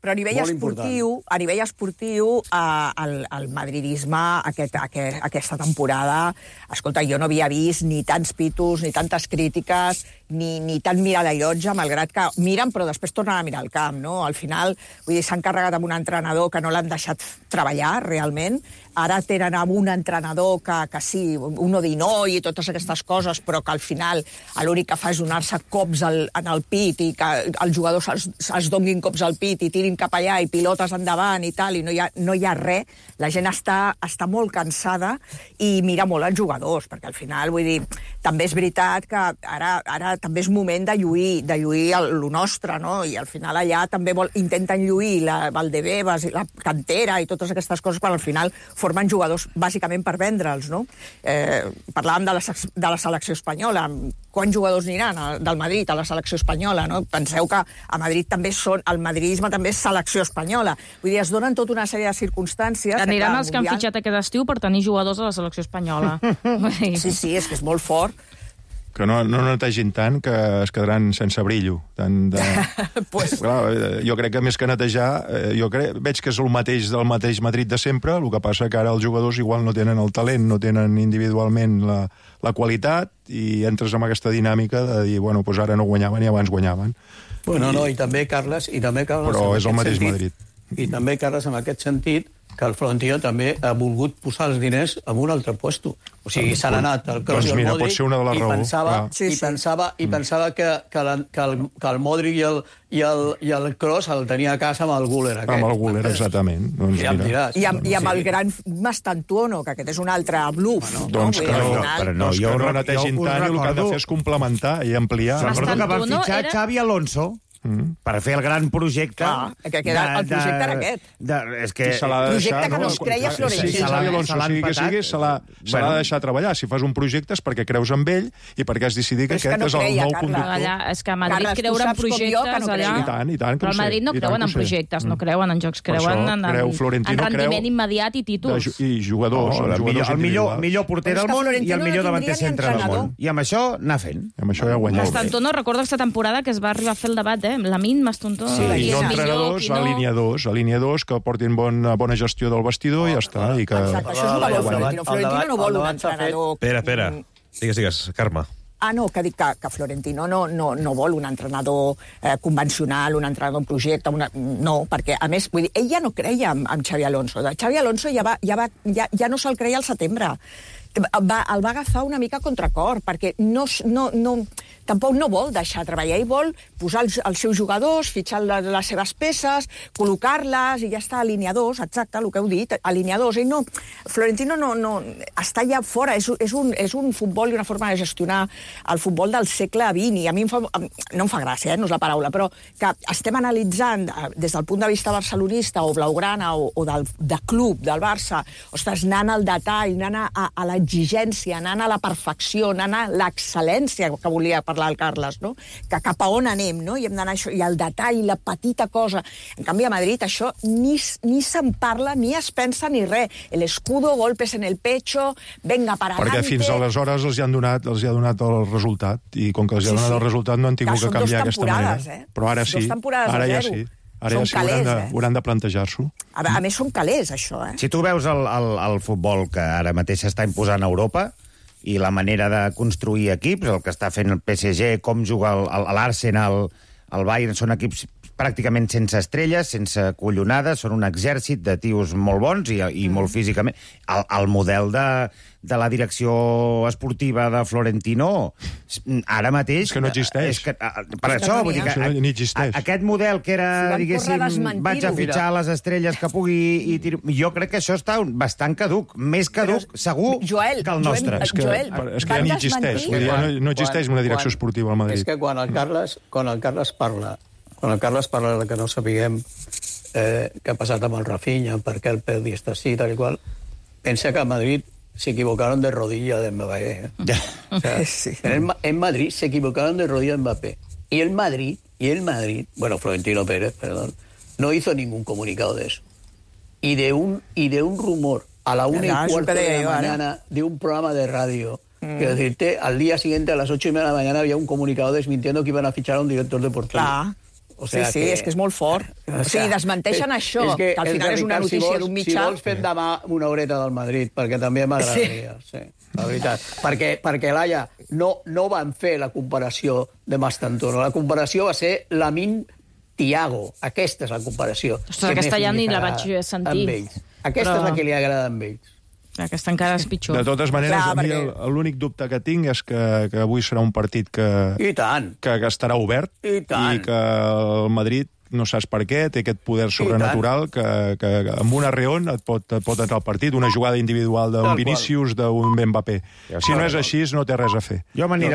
Però a nivell esportiu, el madridisme aquesta temporada, escolta, jo no havia vist ni tants pitos, ni tantes crítiques, ni tant mirar la llotja, malgrat que miren, però després tornen a mirar el camp, no? Al final, vull dir, s'han carregat amb un entrenador que no l'han deixat treballar, realment. Ara tenen amb un entrenador que sí, un odinoi i totes aquestes coses, però que al final l'únic que fa és donar-se cops en el pit i que els jugadors es donguin cops al pit i tirin cap allà i pilotes endavant i tal, i no hi ha res. La gent està molt cansada i mira molt els jugadors, perquè al final, vull dir, també és veritat que ara també és moment de lluir lo nostre, no? I al final allà també intenten lluir la Valdebebas i la cantera i totes aquestes coses, quan al final formen jugadors bàsicament per vendre'ls, no? Parlàvem de la selecció espanyola. Quants jugadors aniran del Madrid a la selecció espanyola, no? Penseu que a Madrid també el madridisme també és selecció espanyola. Vull dir, es donen tota una sèrie de circumstàncies... Aniran els que han fitxat aquest estiu per tenir jugadors a la selecció espanyola. Sí, és que és molt fort. Que no netegin tant que es quedaran sense brillo. Clar, jo crec que més que netejar, veig que és el mateix Madrid de sempre, el que passa que ara els jugadors igual no tenen el talent, no tenen individualment la qualitat, i entres en aquesta dinàmica de dir, bueno, doncs ara no guanyaven i abans guanyaven. Bueno, no, i també, Carles... Però és el mateix Madrid. I també, Carles, en aquest sentit, que el Florentino també ha volgut posar els diners en un altre puesto. O sigui, s'han anat el Kroos i el Modric, pot ser una de les raons. I pensava que el Modric i el Kroos el tenia a casa amb el Güler. Amb el Güler, exactament. I amb el gran Mastantuono, que aquest és un altre bluff. Doncs que no netegin tant, i el que han de fer és complementar i ampliar. Recordo que van fitxar Xavi Alonso per fer el gran projecte... El projecte era aquest. Projecte que no es creia Florentino. Sí, Xavi Alonso, sigui que sigui, se l'ha de deixar treballar. Si fas un projecte és perquè creus en ell i perquè has decidit que aquest és el nou conductor. És que a Madrid creure en projectes allà... I tant, però al Madrid no creuen en projectes, no creuen en jocs, creuen en rendiment immediat i títols. I jugadors. El millor porter del món i el millor davanter centre del món. I amb això anar fent. Amb això ja guanyem. Mastantuono, recordo aquesta temporada que es va arribar a fer el debat, Lamine, Mastantuono... Sí, i no entrenadors, alineadors que portin bona gestió del vestidor i ja està. Exacte, això és un valor Florentino. Florentino no vol un entrenador... Espera. Digues, Carme. No, que dic que Florentino no vol un entrenador convencional, un entrenador en projecte, no, perquè, a més, vull dir, ell ja no creia en Xavi Alonso. Xavi Alonso ja no se'l creia al setembre. El va agafar una mica a contracor, perquè tampoc no vol deixar treballar, ell vol posar els seus jugadors, fitxar les seves peces, col·locar-les i ja està, alineadors, exacte, el que heu dit, alineadors. Ell no, Florentino no està ja fora, és un futbol i una forma de gestionar el futbol del segle XX, i a mi no em fa gràcia, no és la paraula, però que estem analitzant des del punt de vista barcelonista o blaugrana o de club del Barça, ostres, anant al detall, anant a l'exigència, anant a la perfecció, anant a l'excel·lència, que volia parlar el Carles, no? Que cap a on anem, no? I hem d'anar això, i el detall, la petita cosa. En canvi, a Madrid això ni se'n parla, ni es pensa ni res. El escudo, golpes en el pecho, venga para adelante... Perquè fins aleshores els hi ha donat el resultat, i com que els hi ha donat el resultat no han tingut que canviar aquesta manera. Però ara sí, ara ja sí. Ara ja sí, hauran de plantejar-s'ho. A més, són calés, això. Si tu veus el futbol que ara mateix s'està imposant a Europa i la manera de construir equips, el que està fent el PSG, com juga l'Arsenal, el Bayern, són equips pràcticament sense estrelles, sense collonades, són un exèrcit de tios molt bons i molt físicament. El model de la direcció esportiva de Florentino ara mateix... És que no existeix. Per això, vull dir que... Ni existeix. Aquest model que era, diguéssim, vaig a fitxar les estrelles que pugui... Jo crec que això està bastant caduc, més caduc, segur, que el nostre. És que ja ni existeix. No existeix una direcció esportiva al Madrid. És que quan el Carles parla de que no sapiguem què ha passat amb el Rafinha, per què el Pedri està així, tal i qual, pensa que a Madrid se equivocaron de rodilla de Mbappé. O sea, sí. En Madrid se equivocaron de rodilla de Mbappé. Y el Madrid, bueno, Florentino Pérez, perdón, no hizo ningún comunicado de eso. Y de un rumor a la 1:15 de la mañana de un programa de radio, que decirte, al día siguiente a las 8:30 de la mañana había un comunicado desmintiendo que iban a fichar a un director deportivo. Clar. O sea sí, és que és molt fort. O sigui, desmenteixen això, que al final és una notícia d'un mitjà. Si vols fer demà una horeta del Madrid, perquè també m'agradaria, sí, la veritat. Perquè Laia, no van fer la comparació de Mastantuono. La comparació va ser Lamine-Thiago. Aquesta és la comparació. Ostres, aquesta ja ni la vaig sentir. Aquesta és la que li agrada amb ells. Aquesta encara és pitjor. De totes maneres, a mi l'únic dubte que tinc és que avui serà un partit que estarà obert i que el Madrid, no saps per què, té aquest poder sobrenatural que amb un arreón et pot entrar al partit, una jugada individual d'un Vinícius, d'un Mbappé. Si no és així, no té res a fer.